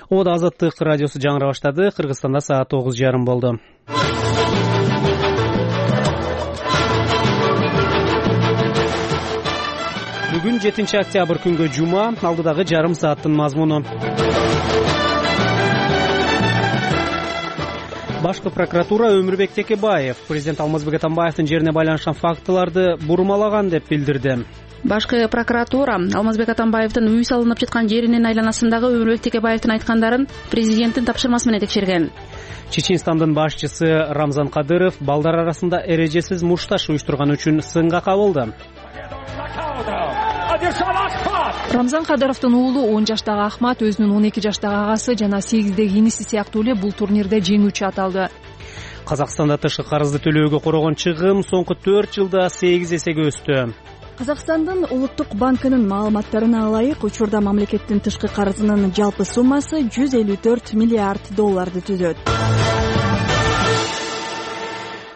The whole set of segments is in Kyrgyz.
Ода Азаттык радиосу жаңыра баштады. Кыргызстанда саат 9:30 болду. Бүгүн 7-октябрь күнгө жума, алдыдагы жарым сааттын мазмуну. Башкы прокуратура Өмүрбек Текебаев президент Алмазбек Атамбаевдин жерине байланышкан фактыларды бурмалаган деп билдирди. Башкы прокуратура Алмазбек Атамбаевдин үй салынып жаткан жеринин айланасындагы Өмүрбек Текебаевдин айткандарын президенттин тапшырмасы менен текшерген. Чеченстандын башчысы Рамзан Кадыров балдар арасында эрежесиз мушташ уюштурган үчүн сынга кабылды. Рамзан Кадыровдун уулу 10 жаштагы Ахмат өзүнүн 12 жаштагы агасы жана 8-деги иниси сыяктуу эле бул турнирде жеңүүчү аталды. Казакстанда тышкы карызды төлөөгө корогон чыгым соңку 4 жылда 8 эсеге өстү. Казакстандын улуттук банкынын маалыматтарына ылайык, учурда мамлекеттин тышкы карызынын жалпы суммасы $154 миллиард түзөт.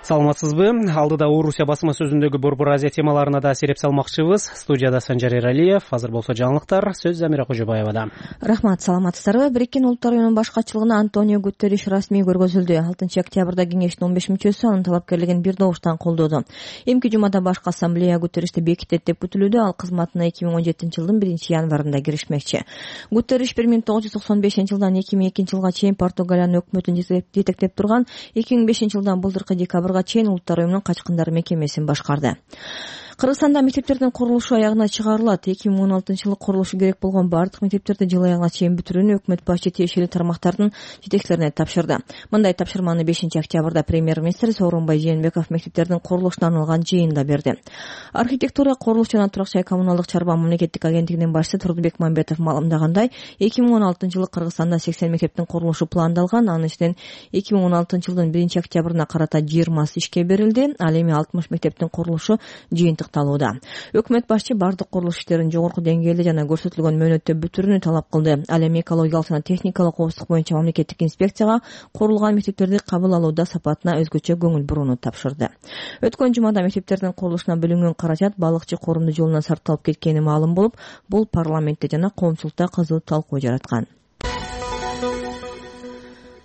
Саламатсызбы? Алдыда Орусия басма сөзүндөгү Борбор Азия темаларына да сереп салмакчыбыз. Студияда Санжар Эралиев, азыр болсо жаңылыктар сөз Замира Кожобаевада. Рахмат, саламатсыздарбы? Бириккен Улуттар уюмунун башкачылыгына Антонио Гутерриш расмий көргөзүлдү. 6-октябрда кеңештин 15 мүчөсү анын талапкерлигин бир добуштан колдоду. Эмки жумада башкы ассамблея Гутерришти бекитет деп күтүлүүдө, ал кызматына 2017-жылдын 1-январында киришмекчи. Гутерриш 1995-жылдан 2002 жылга чейин Португалиянын өкмөтүн жетектеп турган, 2005 жылдан былтыркы декабрга чейин Улуттар уюмунун качкындар мекемесин башкарды. Кыргызстанда мектептердин курулушу аягына чыгарылат. 2016-жылы курулушу керек болгон бардык мектептерди жыл аягына чейин бүтүрүүнү өкмөт башчы тиешелүү тармактардын жетекчилерине тапшырды. Мындай тапшырманы 5-октябрда премьер-министр Сооронбай Жээнбеков мектептердин курулушуна арналган жыйында берди. Архитектура, курулуш жана турак жай коммуналдык чарба мамлекеттик агенттигинин башчысы Турдубек Мамбетов маалымдагандай, 2016-жылы Кыргызстанда 80 мектептин курулушу пландалган. Анын ичинен 2016-жылдын 1-октябрына карата 20 ишке берилди. Ал эми 60 мектептин курулушу жыйынтык. Өкмөт башчы бардык курулуш иштерин жогорку деңгээлде жана көрсөтүлгөн мөөнөттө бүтүрүүнү талап кылды. Ал эми экологиялык жана техникалык коопсуздук боюнча мамлекеттик инспекцияга курулган мектептерди кабыл алууда сапатына өзгөчө көңүл бурууну тапшырды. Өткөн жумада мектептердин курулушуна бөлүнгөн каражат балыкчы корунду жолунан сарпталып кеткени маалым болуп, бул парламентте жана коомчулукта кызуу талкуу жараткан.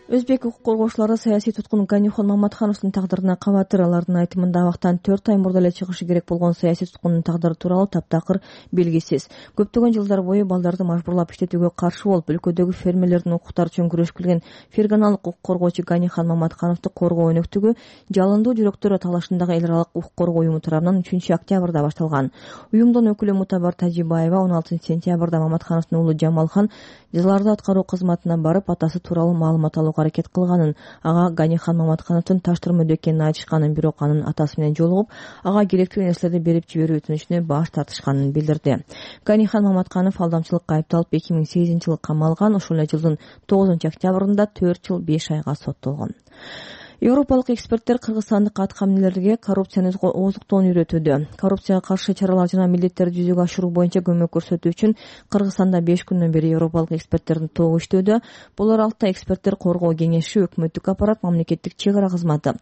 Өзбек укук коргоочулары саясий туткун Ганихон Маматхановдун тагдырына кабатыр. Алардын айтымында абактан 4 ай мурда эле чыгышы керек болгон саясий туткундун тагдыры тууралуу таптакыр белгисиз. Көптөгөн жылдар бою балдарды мажбурлап иштетүүгө каршы болуп, өлкөдөгү фермерлердин укуктары үчүн күрөшүп келген ферганалык укук коргоочу Ганихон Маматхановду коргоо өнөктүгү Жалындуу жүрөктөр талашындагы эл аралык укук коргоо уюму тарабынан 3-октябрда башталган. Уюмдун өкүлү Мутабар Тажибаева 16-сентябрда Маматхановдун уулу Жамалхан жазаларды аткаруу кызматына барып, атасы тууралуу маалымат алууга аракет кылганын, ага Ганихон Маматхановдун таштырмөдө экенин айтышканын, бирок анын атасы менен жолугуп, ага керектүү нерселерди берип жиберүү өтүнүчүнө баш тартышканын билдирди. Ганихон Маматханов алдамчылыкка айыпталып 2008-жылы камалган. Ошол эле жылдын 9-октябрында 4 жыл 5 айга соттолгон. Европалык эксперттер кыргызстандык аткаминерлерге коррупцияны ооздуктоону үйрөтүүдө. Коррупцияга каршы чаралар жана милдеттерди жүзөгө ашыруу боюнча көмөк көрсөтүү үчүн Кыргызстанда 5 күндөн бери европалык эксперттердин тобу иштөөдө. Бул аралыкта эксперттер коргоо кеңеши, өкмөттүк аппарат, мамлекеттик чек ара кызматы,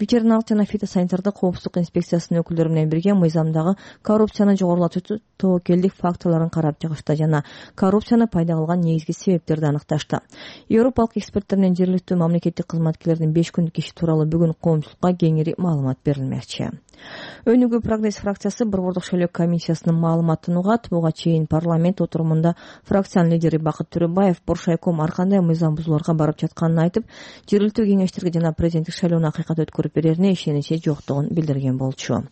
ветериналык жана фитосанитардык коопсуздук инспекциясынын өкүлдөрү менен бирге мыйзамдагы коррупцияны жогорулатуучу тобокелдик фактыларын карап чыгышты жана коррупцияны пайда кылган негизги себептерди аныкташты. Европалык эксперттер менен жергиликтүү мамлекеттик кызматкерлердин 5 күндүк иши тууралуу бүгүн коомчулукка кеңири маалымат берилмекчи. Өнүгүү прогресс фракциясы Борбордук шайлоо комиссиясынын маалыматын угат. Буга чейин парламент отурумунда фракциянын лидери Бакыт Төрөбаев Боршайком ар кандай мыйзам бузууларга барып жатканын айтып, жергиликтүү кеңештерге жана президенттик шайлоону акыйкат өткөрүп берерине ишеничи жоктугун билдирген болчу.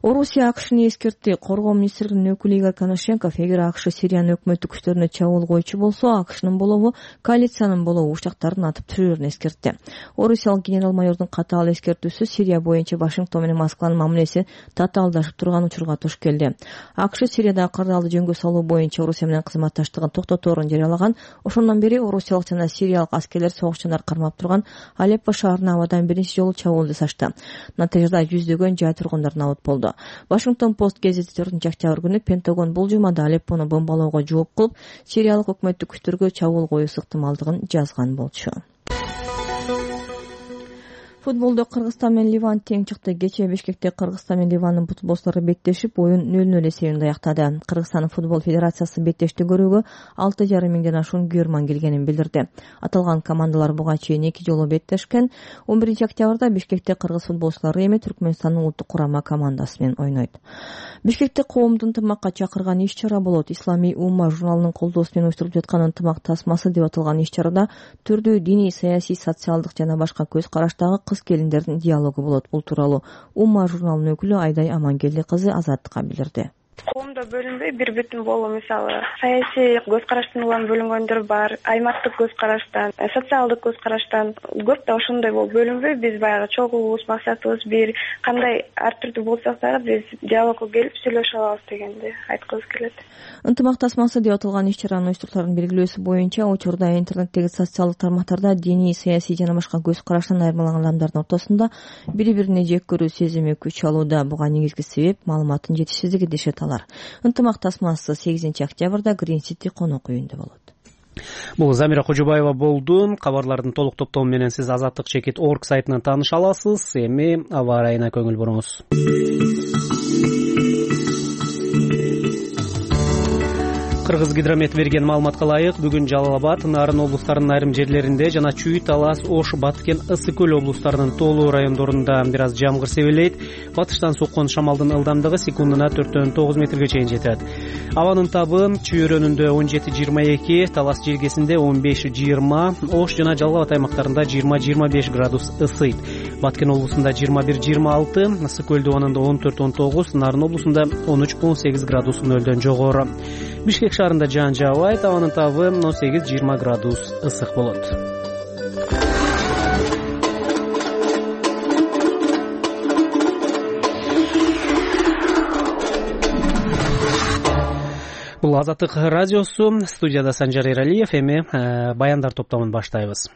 Орусия АКШны эскертти. Коргоо министринин өкүлү Игорь Коношенков, эгер АКШ Сириянын өкмөттүк күчтөрүнө чабуул койчу болсо, АКШнын болобу, коалициянын болобу учактарын атып түшүрөрүн эскертти. Орусиялык генерал-майордун катаал эскертүүсү Сирия боюнча Вашингтон менен Москванын мамилеси татаалдашып турган учурга туш келди. АКШ Сириядагы кырдаалды жөнгө салуу боюнча Орусия менен кызматташтыгын токтоторун жарыялаган. Ошондон бери орусиялык жана сириялык аскерлер согушчандар кармап турган Алеппо шаарына абадан биринчи жолу чабуул жасашты. Натыйжада жүздөгөн жай тургундар набыт болду. Вашингтон Пост гезити 4-октябрь күнү Пентагон бул жумада Алеппону бомбалоого жооп кылып, сириялык өкмөттүк күчтөргө чабуул коюу ыктымалдыгын жазган болчу. Футболдо Кыргызстан менен Ливан тең чыкты. Кечээ Бишкекте Кыргызстан менен Ливандын футболчулары беттешип, оюн 0-0 эсебинде аяктады. Кыргызстан футбол федерациясы беттешти көрүүгө 6,5 миңден ашуун көрөрман келгенин билдирди. Аталган командалар буга чейин 2 жолу беттешкен. 11 октябрда Бишкекте кыргыз футболчулары эми Түркмөнстандын улуттук курама командасы менен ойнойт. Бишкекте коомду ынтымакка чакырган иш-чара болот. Исламий умма журналынын колдоосу менен уюштурулуп жаткан ынтымак тасмасы деп аталган иш-чарада түрдүү диний, саясий, социалдык жана башка көз караштагы кыз-келиндердин диалогу болот. Бул тууралуу Умма журналынын өкүлү Айдай Амангелди кызы Азаттыкка билдирди. Коомдо бөлүнбөй бир бүтүн болуу, мисалы саясий көз караштан улам бөлүнгөндөр бар, аймактык көз караштан, социалдык көз караштан көп да ошондой болуп бөлүнбөй биз баягы чогуубуз, максатыбыз бир, кандай ар түрдүү болсок дагы биз диалогко келип сүйлөшө алабыз дегенди айткыбыз келет. Ынтымак тасмасы деп аталган иш-чаранын уюштуруучуларынын белгилөөсү боюнча учурда интернеттеги социалдык тармактарда диний, саясий жана башка көз караштан айырмаланган адамдардын ортосунда бири-бирине жек көрүү сезими күч алууда. Буга негизги себеп маалыматтын жетишсиздиги дешет алар. Ынтымак тасмасы 8 октябрда Green City конок үйүндө болот. Бул Замира Кожобаева болду. Кабарлардын толук топтому менен сиз Азаттык.org сайтынан тааныша аласыз. Эми аба ырайына көңүл буруңуз. Кыргыз гидромет берген маалыматка ылайык, бүгүн Жалал Абад, Нарын облустарынын айрым жерлеринде жана Чүй, Талас, Ош, Баткен, Ысык көл облустарынын тоолуу райондорунда бир аз жамгыр себелейт. Батыштан соккон шамалдын ылдамдыгы секундуна 4,9 метрге чейин жетет. Абанын табы Чүй өрөөнүндө 17-22, Талас желгесинде 15-20, Ош жана Жалал Абад аймактарында 20-25 градус ысыйт. Баткен облусунда 21-26, Ысык көл дубанында 14-19, Нарын облусунда 13-18 градус нөлдөн жогору. Бишкек шаарында жаан жаабайт, абанын табы 18-20 градус ысык болот. Бул Азаттык радиосу, студияда Санжар Эралиев. Эми баяндар топтомун баштайбыз.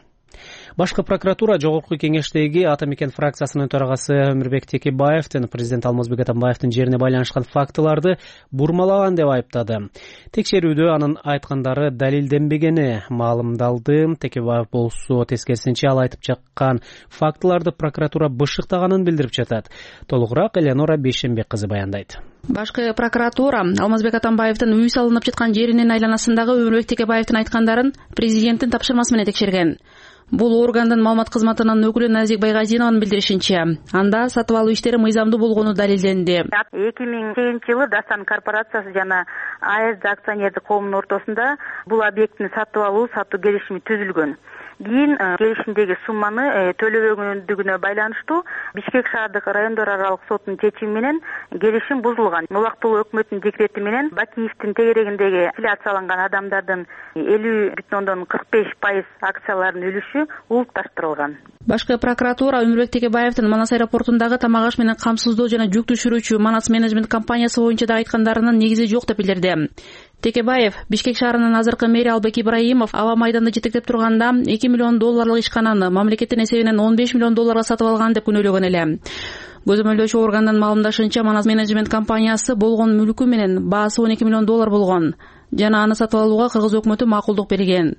Башкы прокуратура Жогорку кеңештеги Ата Мекен фракциясынын төрагасы Өмүрбек Текебаевдин президент Алмазбек Атамбаевдин жерине байланышкан фактыларды бурмалаган деп айыптады. Текшерүүдө анын айткандары далилденбегени маалымдалды. Текебаев болсо тескерисинче ал айтып чыккан фактыларды прокуратура бышыктаганын билдирип жатат. Толугураак Элеонора Бейшенбек кызы баяндайт. Башкы прокуратура Алмазбек Атамбаевдин үй салынып жаткан жеринин айланасындагы Өмүрбек Текебаевдин айткандарын президенттин тапшырмасы менен текшерген. Бул органдын маалымат кызматынын өкүлү Назик Байгазинованын билдиришинче, анда сатып алуу иштери мыйзамдуу болгону далилденди. 2008-жылы Дастан корпорациясы жана АЭС акционердик коомунун ортосунда бул объекттин сатып алуу сатуу келишими түзүлгөн. Кийин келишимдеги сумманы төлөбөгөндүгүнө байланыштуу Бишкек шаардык райондор аралык сотунун чечими менен келишим бузулган. Улуттук өкмөттүн декрети менен Бакиевдин тегерегиндеги аффилиацияланган адамдардын 50,45% акцияларынын үлүшү улутташтырылган. Башкы прокуратура Өмүрбек Текебаевдин Манас аэропортундагы тамак аш менен камсыздоо жана жүк түшүрүүчү Манас менеджмент компаниясы боюнча да айткандарынын негизи жок деп билдирди. Текебаев Бишкек шаарынын азыркы мэри Албек Ибраимов аба майданда жетектеп турганда $2 миллион ишкананы мамлекеттин эсебинен $15 миллион сатып алган деп күнөөлөгөн эле. Көзөмөлдөөчү органдын маалымдашынча Манас менеджмент компаниясы болгон мүлкү менен баасы $12 миллион болгон жана аны сатып алууга кыргыз өкмөтү макулдук берген.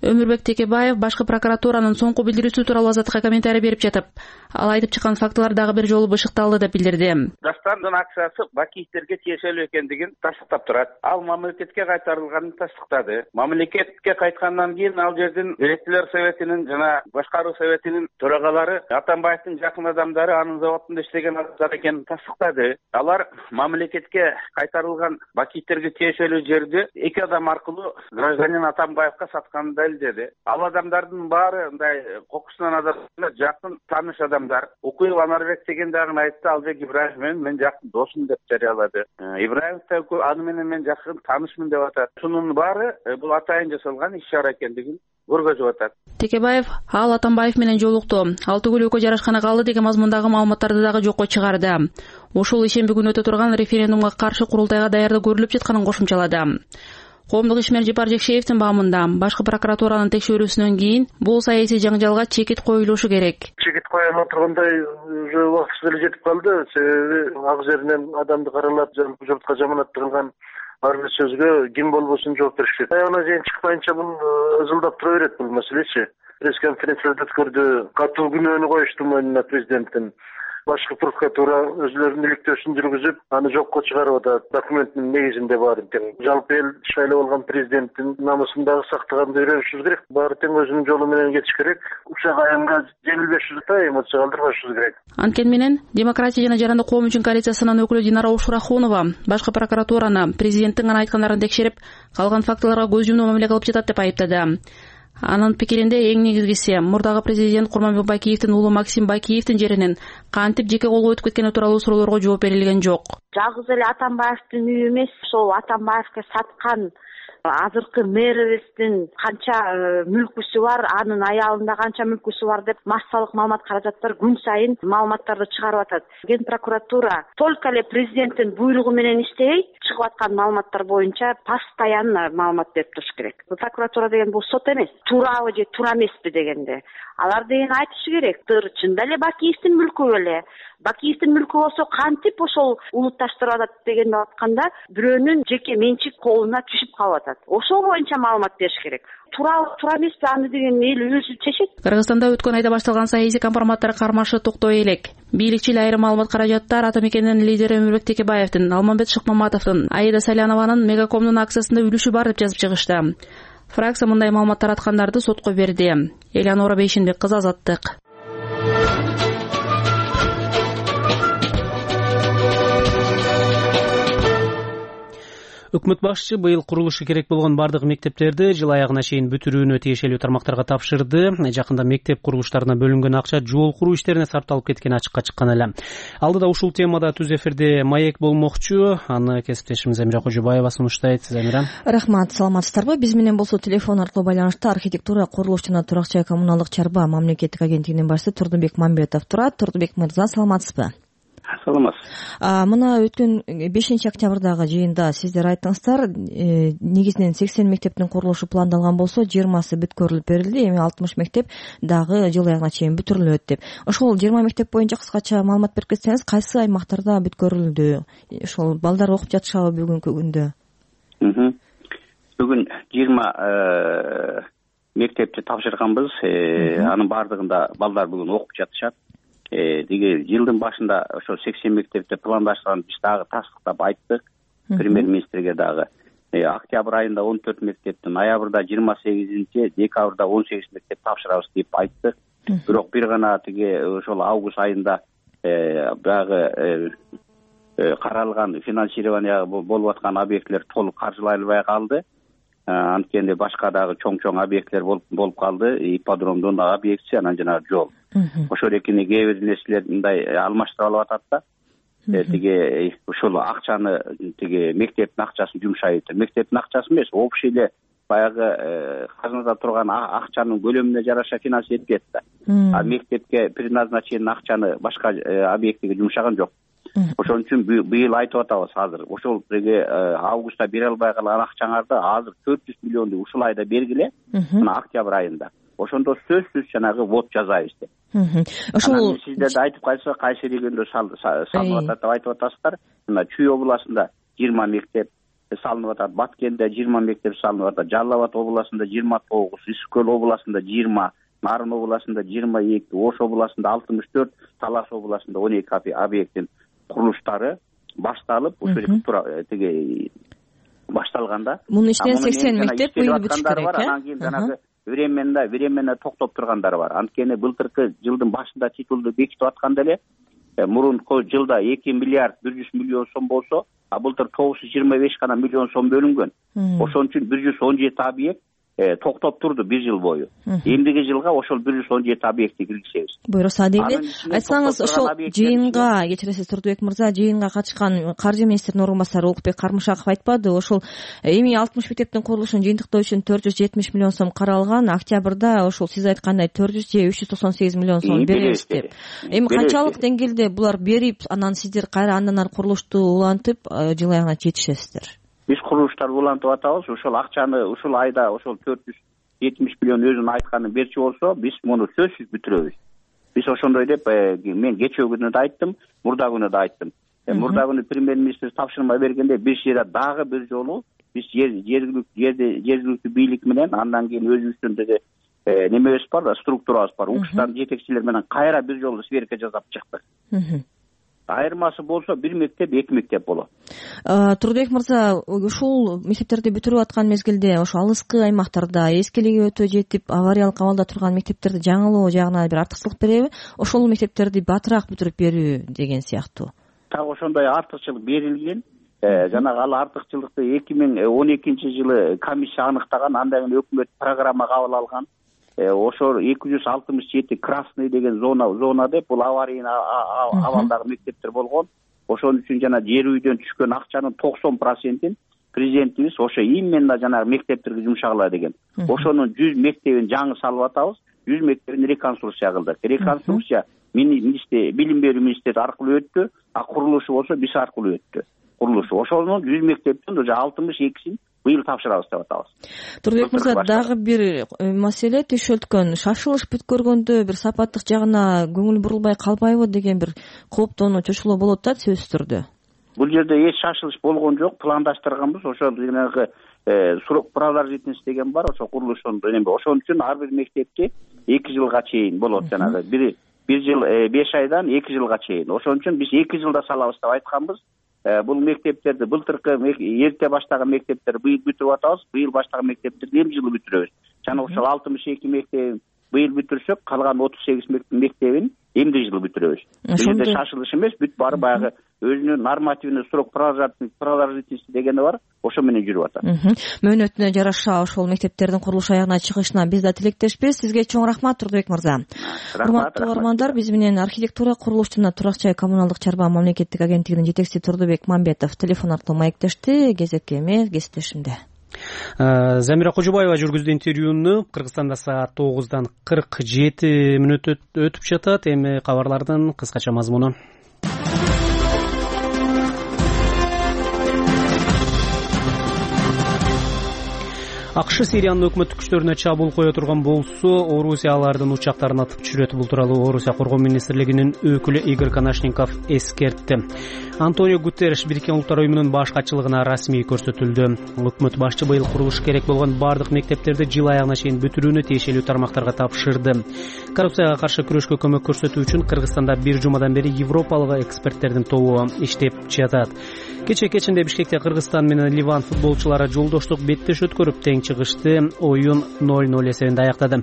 Өмүрбек Текебаев башкы прокуратуранын соңку билдирүүсү тууралуу Азаттыкка комментарий берип жатып, ал айтып чыккан фактылар дагы бир жолу бышыкталды деп билдирди. Дастандын акциясы Бакиевтерге тиешелүү экендигин тастыктап турат. Ал мамлекетке кайтарылганын тастыктады. Мамлекетке кайткандан кийин ал жердин директорлор советинин жана башкаруу советинин төрагалары Атамбаевдин жакын адамдары анын заводунда иштеген адамдар экенин тастыктады. Алар мамлекетке кайтарылган Бакиевтерге тиешелүү жерди эки адам аркылуу гражданин Атамбаевга сатканын далилдеди. Ал адамдардын баары мындай кокусунан адамдар жакын тааныш адамдар. Укуев Анарбек деген дагы айтты, Албек Ибраев мен жакын досум деп жарыялады. Ибраев да аны менен мен жакын таанышмын деп атат. Шунун баары бул атайын жасалган иш-чара экендигин көргөзүп атат. Текебаев ал Атамбаев менен жолукту. Ал түгүл экөө жарашкана калды деген мазмундагы маалыматтарды дагы жокко чыгарды. Ушул ишемби күнү өтө турган референдумга каршы курултайга даярдык көрүлүп жатканын кошумчалады. Коомдук ишмер Жипар Жекшеевдин баамында башкы прокуратуранын текшерүүсүнөн кийин бул саясий жаңжалга чекит коюлушу керек. Чекит коюлуп тургандай уже убактысы деле жетип калды. Себеби ак жеринен адамды каралап, журтка жаманаттырылган ар бир сөзгө ким болбосун жооп беришет. Аяна чейин чыкпайынча бул ызылдап тура берет бул маселечи. пресс-конференция өткөрдү. Катуу күнөөнү коюшту мойнуна президенттин. Башкы прокуратура өзүлөрүнүн иликтөөсүн жүргүзүп, аны жокко чыгарып атат. Документтин негизинде баары тең. Жалпы эл шайлап алган президенттин намысын дагы сактаганды үйрөнүшүбүз керек. Баары тең өзүнүн жолу менен кетиш керек. Учак аянга жеңилбешибиз да, эмоция калтырбашыбыз керек. Анткени менен Демократия жана Жарандык коом үчүн коалициясынын өкүлү Динара Ушурахунова башкы прокуратураны президенттин гана айткандарын текшерип, калган фактыларга көз жумуу мамиле кылып жатат деп айыптады. Анын пикиринде эң негизгиси мурдагы президент Курманбек Байкеевдин уулу Максим Байкеевдин жеринин кантип жеке колго өтүп кеткени тууралуу суроолорго жооп берилген жок. Жалгыз эле Атамбаевдин үйү эмес, ошол Атамбаевге саткан азыркы мэрибиздин канча мүлкүсү бар, анын аялында канча мүлкүсү бар деп массалык маалымат каражаттар күн сайын маалыматтарды чыгарып атат. Ген прокуратура только эле президенттин буйругу менен иштебей, чыгып аткан маалыматтар боюнча постоянно маалымат берип туруш керек. Прокуратура деген бул сот эмес. Туурабы же туура эмеспи дегенде алар деген айтышы керек. Чында эле Бакиевдин мүлкү беле? Бакиевдин мүлкү болсо кантип ошол улутташтырып атат дегенди атканда бирөөнүн жеке менчик колуна түшүп калып атат. Ошол боюнча маалымат бериш керек. Туура эмеспи аны деген эл өзү чечет. Кыргызстанда өткөн айда башталган саясий компроматтар кармашы токтой элек. Бийликчил айрым маалымат каражаттар Ата Мекендин лидери Өмүрбек Текебаевдин, Алмамбет Шыкмаматовдун, Аида Салянованын Мегакомдун акциясында үлүшү бар деп жазып чыгышты. Фракция мындай маалымат тараткандарды сотко берди. Элеонора Бейшенбек кызы, Азаттык. Өкмөт башчы быйыл курулушу керек болгон бардык мектептерди жыл аягына чейин бүтүрүүнү тиешелүү тармактарга тапшырды. Жакында мектеп курулуштарына бөлүнгөн акча жол куруу иштерине сарпталып кеткени ачыкка чыккан эле. Алдыда ушул темада түз эфирде маек болмокчу. Аны кесиптешimiz Эмира Кожобаева сунуштайт. Сиз, Эмира. Рахмат, саламатсыздарбы? Биз менен болсо телефон аркылуу байланышта архитектура, курулуш жана турак жай коммуналдык чарба мамлекеттик агенттигинин башчысы Турдубек Мамбетов турат. Турдубек мырза, саламатсызбы? Саламатсыз. Мына өткөн 5-октябрдагы жыйында сиздер айттыңыздар, негизинен 80 мектептин курулушу пландалган болсо 20сы бүткөрүлүп берилди, эми 60 мектеп дагы жыл аягына чейин бүтүрүлөт деп. Ошол 20 мектеп боюнча кыскача маалымат берип кетсеңиз, кайсы аймактарда бүткөрүлдү? Ошол балдар окуп жатышабы бүгүнкү күндө? Бүгүн 20 мектепти тапшырганбыз. Анын бардыгында балдар бүгүн окуп жатышат. Деги жылдын башында ошо 80 мектепте пландаштырганын биз дагы тастыктап айттык премьер-министрге дагы. Октябрь айында 14 мектептин, ноябрда 28, декабрда 18 мектеп тапшырабыз деп айттык. Бирок бир гана тиги ошол август айында баягы каралган финансирование болуп аткан объекттер толук каржылай албай калды. Анткени башка дагы чоң объекттер болуп калды. Ипподромдун объектиси, анан жана жол. Ошол экини кээ бир нерселер мындай алмаштырып алып атат да. Тиги ушул акчаны тиги мектептин акчасын жумшайт. Мектептин акчасы эмес, общий эле баягы казынада турган акчанын көлөмүнө жараша финансировать этет да. А мектепке предназначен акчаны башка объектиге жумшаган жок. Ошон үчүн быйыл айтып атабыз азыр. Ошол августта бере албай калган акчаңарды азыр 400 миллионду ушул айда бергиле. Мына октябрь айында. Ошондо сөзсүз жанагы вот жазайбыз деп. Ошол сиздер да айтып кайсыздар, кайсы региондо салынып атат деп айтып атасыздар. Мына Чүй областында 20 мектеп салынып атат, Баткенде 20 мектеп салынып атат, Жалал Абад областында 29, Ысык Көл областында 20, Нарын областында 22, Ош областында 64, Талас областында 12 объекттин курулуштары башталып, ошол тиги башталганда. Мунун ичинен 80 мектеп быйыл бүтүш керек, анан кийин жанагы временно токтоп тургандар бар. Анткени былтыркы жылдын башында титулду бекитип атканда эле мурунку жылда 2 миллиард 100 миллион сом болсо, а былтыр 925 гана миллион сом бөлүнгөн. Ошон үчүн 117 объект токтоп турду бир жыл бою. Эмдиги жылга ошол 117 объектти киргизебиз. Буйруса дейли. Айтсаңыз, ошол жыйынга, кечиресиз Турдубек мырза, жыйынга катышкан каржы министринин орун басары Улукбек Кармышаков айтпады, ошол эми 60 мектептин курулушун жыйынтыктоо үчүн 470 миллион сом каралган, октябрда ошол сиз айткандай 400 же 398 миллион сом беребиз деп. Эми канчалык деңгээлде булар берип, анан сиздер кайра андан ары курулушту улантып, жыл аягына жетишесиздер? Биз курулуштарды улантып атабыз. Ошол акчаны ушул айда ошол 470 миллион өзүнүн айтканын берчи болсо, биз муну сөзсүз бүтүрөбүз. Биз ошондой деп мен кечээ күнү да айттым, мурда күнү да айттым. Мурда күнү премьер-министр тапшырма бергенде бир жерде дагы бир жолу биз жергиликтүү бийлик менен, андан кийин өзүбүздүн немебиз бар да, структурабыз бар. УКШтардын жетекчилери менен кайра бир жолу сверка жасап чыктык. Айырмасы болсо бир мектеп, эки мектеп болот. Турдубек мырза, ушул мектептерди бүтүрүп аткан мезгилде ошо алыскы аймактарда эскилиги өтө жетип, авариялык абалда турган мектептерди жаңылоо жагына бир артыкчылык береби? Ошол мектептерди батыраак бүтүрүп берүү деген сыяктуу. Так ошондой артыкчылык берилген. Жанагы ал артыкчылыкты 2012-жылы комиссия аныктаган, андан кийин өкмөт программа кабыл алган. Ошо 267 красный деген зона деп, бул аварийный абалдагы мектептер болгон. Ошон үчүн жана жер үйдөн түшкөн акчанын 90%-ин президентибиз ошо именно жанагы мектептерге жумшагыла деген. Ошонун 100 мектебин жаңы салып атабыз, 100 мектебин реконструкция кылдык. Реконструкция билим берүү министрлиги аркылуу өттү, а курулушу болсо биз аркылуу өттү. Ошонун 100 мектептин уже 62-син быйыл тапшырабыз деп атабыз. Турдубек мырза, дагы бир маселе түйшөлткөн, шашылыш бүткөргөндө бир сапаттык жагына көңүл бурулбай калбайбы деген бир кооптонуу, чочулоо болот да сөзсүз түрдө. Бул жерде эч шашылыш болгон жок, пландаштырганбыз. Ошол жанагы срок продолжительности деген бар, ошо курулушун ошон үчүн ар бир мектепте 2 жылга чейин болот, жанагы бир жыл 5 айдан 2 жылга чейин. Ошон үчүн биз 2 жылда салабыз деп айтканбыз. Бул мектептерди былтыркы эрте баштаган мектептер быйыл бүтүрүп атабыз, быйыл баштаган мектептерди эми жылы бүтүрөбүз. Жана ошол 62 мектебин быйыл бүтүрсөк, калган 38 мектебин эмди жылы бүтүрөбүз. Бул жерде шашылыш эмес, бүт баары баягы өзүнүн нормативный срок продолжительности дегени бар, ошо менен жүрүп атат. Мөөнөтүнө жараша ошол мектептердин курулуш аягына чыгышына биз да тилектешпиз. Сизге чоң рахмат, Турдубек мырза. Урматтуу угармандар, биз менен архитектура, курулуш жана турак жай коммуналдык чарба мамлекеттик агенттигинин жетекчиси Турдубек Мамбетов телефон аркылуу маектешти. Кезекке эме кесиптешимде. Замира Кожобаева жүргүздү интервьюну. Кыргызстанда саат 9:47 өтүп жатат. Эми кабарлардын кыскача мазмуну. АКШ Сириянын өкмөттүк күчтөрүнө чабуул кое турган болсо, Орусия алардын учактарын атып түшүрөт. Бул тууралуу Орусия коргоо министрлигинин өкүлү Игорь Конашников эскертти. Антонио Гутерриш Бириккен Улуттар уюмунун баш катчылыгына расмий көрсөтүлдү. Өкмөт башчы быйыл курулуш керек болгон бардык мектептерди жыл аягына чейин бүтүрүүнү тиешелүү тармактарга тапшырды. Коррупцияга каршы күрөшкө көмөк көрсөтүү үчүн Кыргызстанда бир жумадан бери европалык эксперттердин тобу иштеп жатат. Кечинде Бишкекте Кыргызстан менен Ливан футболчулары жолдоштук беттеш өткөрүп тең чыгышты. Оюн 0-0 эсебинде аяктады.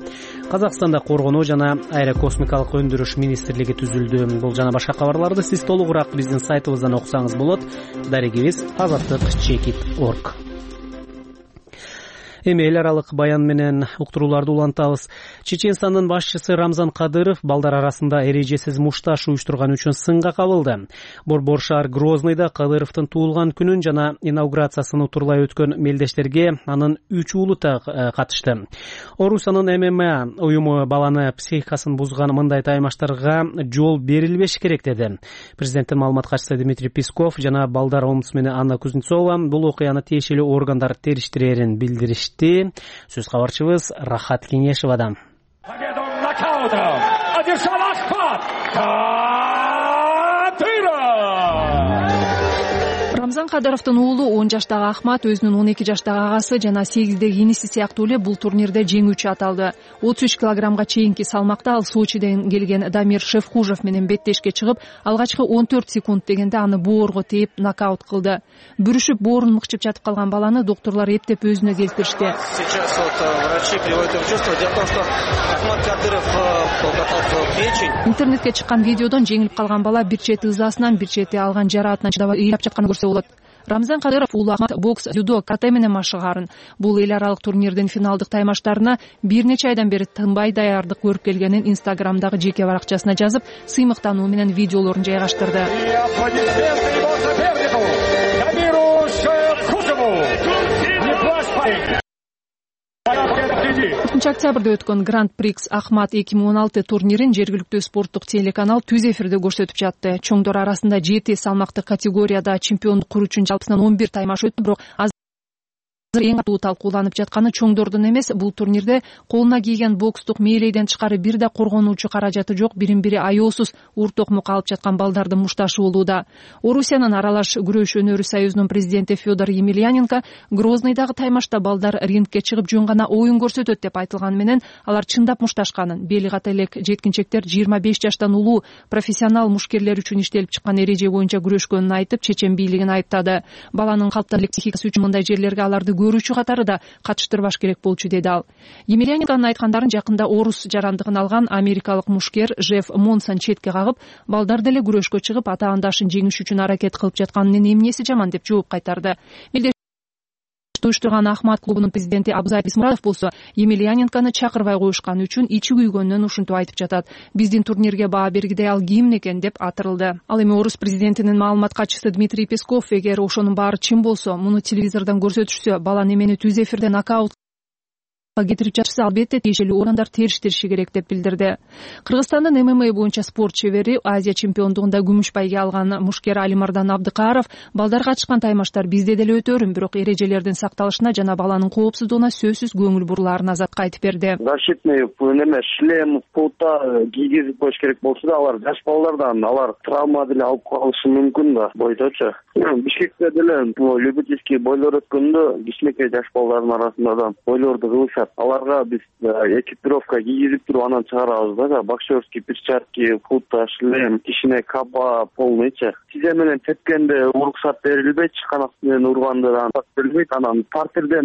Казакстанда коргонуу жана аэрокосмикалык өндүрүш министрлиги түзүлдү. Бул жана башка кабарларды сиз толугураак биздин сайтыбыздан окусаңыз болот. Дарегибиз azatlyk.org. Эми эл аралык баян менен уктурууларды улантабыз. Чеченстандын башчысы Рамзан Кадыров балдар арасында эрежесиз мушташ уюштурган үчүн сынга кабылды. Борбор шаар Грознойдо Кадыровдун туулган күнүн жана инаугурациясын утурлай өткөн мелдештерге анын 3 уулу катышты. Орусиянын ММА уюму баланы психикасын бузган мындай таймаштарга жол берилбеш керек деди. Президенттин маалымат катчысы Дмитрий Песков жана балдар омбудсмени Анна Кузнецова бул окуяны тиешелүү органдар териштирерин билдиришти. Сөз кабарчыбыз Рахат Кеңешевадан. Рамзан Кадыровдун уулу 10 жаштагы Ахмат өзүнүн 12 жаштагы агасы жана 8-деги иниси сыяктуу эле бул турнирде жеңүүчү аталды. 33 килограммга чейинки салмакта ал Сочиден келген Дамир Шевхужев менен беттешке чыгып, алгачкы 14 секунд дегенде аны боорго тээп нокаут кылды. Бүрүшүп боорун мыкчып жатып калган баланы докторлор эптеп өзүнө келтиришти. Сейчас врачи приводят в чувство. Дело в том, что Ахмат Кадыров попал в печень. Интернетке чыккан видеодон жеңилип калган бала бир чети ызасынан, бир чети алган жараатынан чыдабай ыйлап жатканын көрсө болот. Рамзан Кадыров уулу Ахмат бокс, дзюдо, карате менен машыгарын. Бул эл аралык турнирдин финалдык таймаштарына бир нече айдан бери тынбай даярдык көрүп келгенин Инстаграмдагы жеке баракчасына жазып, сыймыктануу менен видеолорун жайгаштырды. 4 октябрда өткөн Гранд Прикс Ахмат 2016 турнирин жергиликтүү спорттук телеканал түз эфирде көрсөтүп жатты. Чоңдор арасында 7 салмактык категорияда чемпиондук куруу үчүн жалпысынан 11 таймаш өттү, бирок эң катуу талкууланып жатканы чоңдордун эмес, бул турнирде колуна кийген бокстук мээлейден тышкары бир да коргонуучу каражаты жок, бирин бири аеосуз уртокмукка алып жаткан балдардын мушташы болууда. Орусиянын аралаш күрөш өнөрү союзунун президенти Федор Емельяненко Грозныйдагы таймашта балдар рингке чыгып жөн гана оюн көрсөтөт деп айтылганы менен алар чындап мушташканын, бели ката элек жеткинчектер 25 жаштан улуу профессионал мушкерлер үчүн иштелип чыккан эреже боюнча күрөшкөнүн айтып, чечен бийлигин айыптады. Баланын калыптар психикасы үчүн мындай жерлерге аларды көрүүчү катары да катыштырбаш керек болчу, деди ал. Емельяненконун айткандарын жакында орус жарандыгын алган америкалык мушкер Жеф Монсон четке кагып, балдар деле күрөшкө чыгып, ата-андашын жеңиш үчүн аракет кылып жатканынын эмнеси жаман деп жооп кайтарды. Уюштурган Ахмат клубунун президенти Абзал Исмуратов болсо Емельяненкону чакырбай коюшканы үчүн ичи күйгөнүнөн ушинтип айтып жатат. Биздин турнирге баа бергидей ал ким экен деп атырылды. Ал эми орус президентинин маалымат катчысы Дмитрий Песков эгер ошонун баары чын болсо, муну телевизордон көрсөтүшсө, бала немени түз эфирде нокаут кетирип жатса, албетте тиешелүү орандар териштириши керек деп билдирди. Кыргызстандын ММА боюнча спорт чебери, Азия чемпиондугунда күмүш байге алган мушкер Алимардан Абдыкааров балдар катышкан таймаштар бизде деле өтөрүн, бирок эрежелердин сакталышына жана баланын коопсуздугуна сөзсүз көңүл бурулаарын Азатка айтып берди. Защитный шлем, пулта кийгизип коюш керек болсо да, алар жаш балдардан алар травма деле алып калышы мүмкүн да бойдочу. Бишкекте деле любительский бойлор өткөндө кичинекей жаш балдардын арасында да бойлорду кылышат. Аларга биз экипировка кийгизип туруп анан чыгарабыз да, боксерский перчатки, пулта, шлем, кичине капа полныйчы. Тизе менен тепкенде уруксат берилбейт, канат менен урганда да берилбейт, анан партерден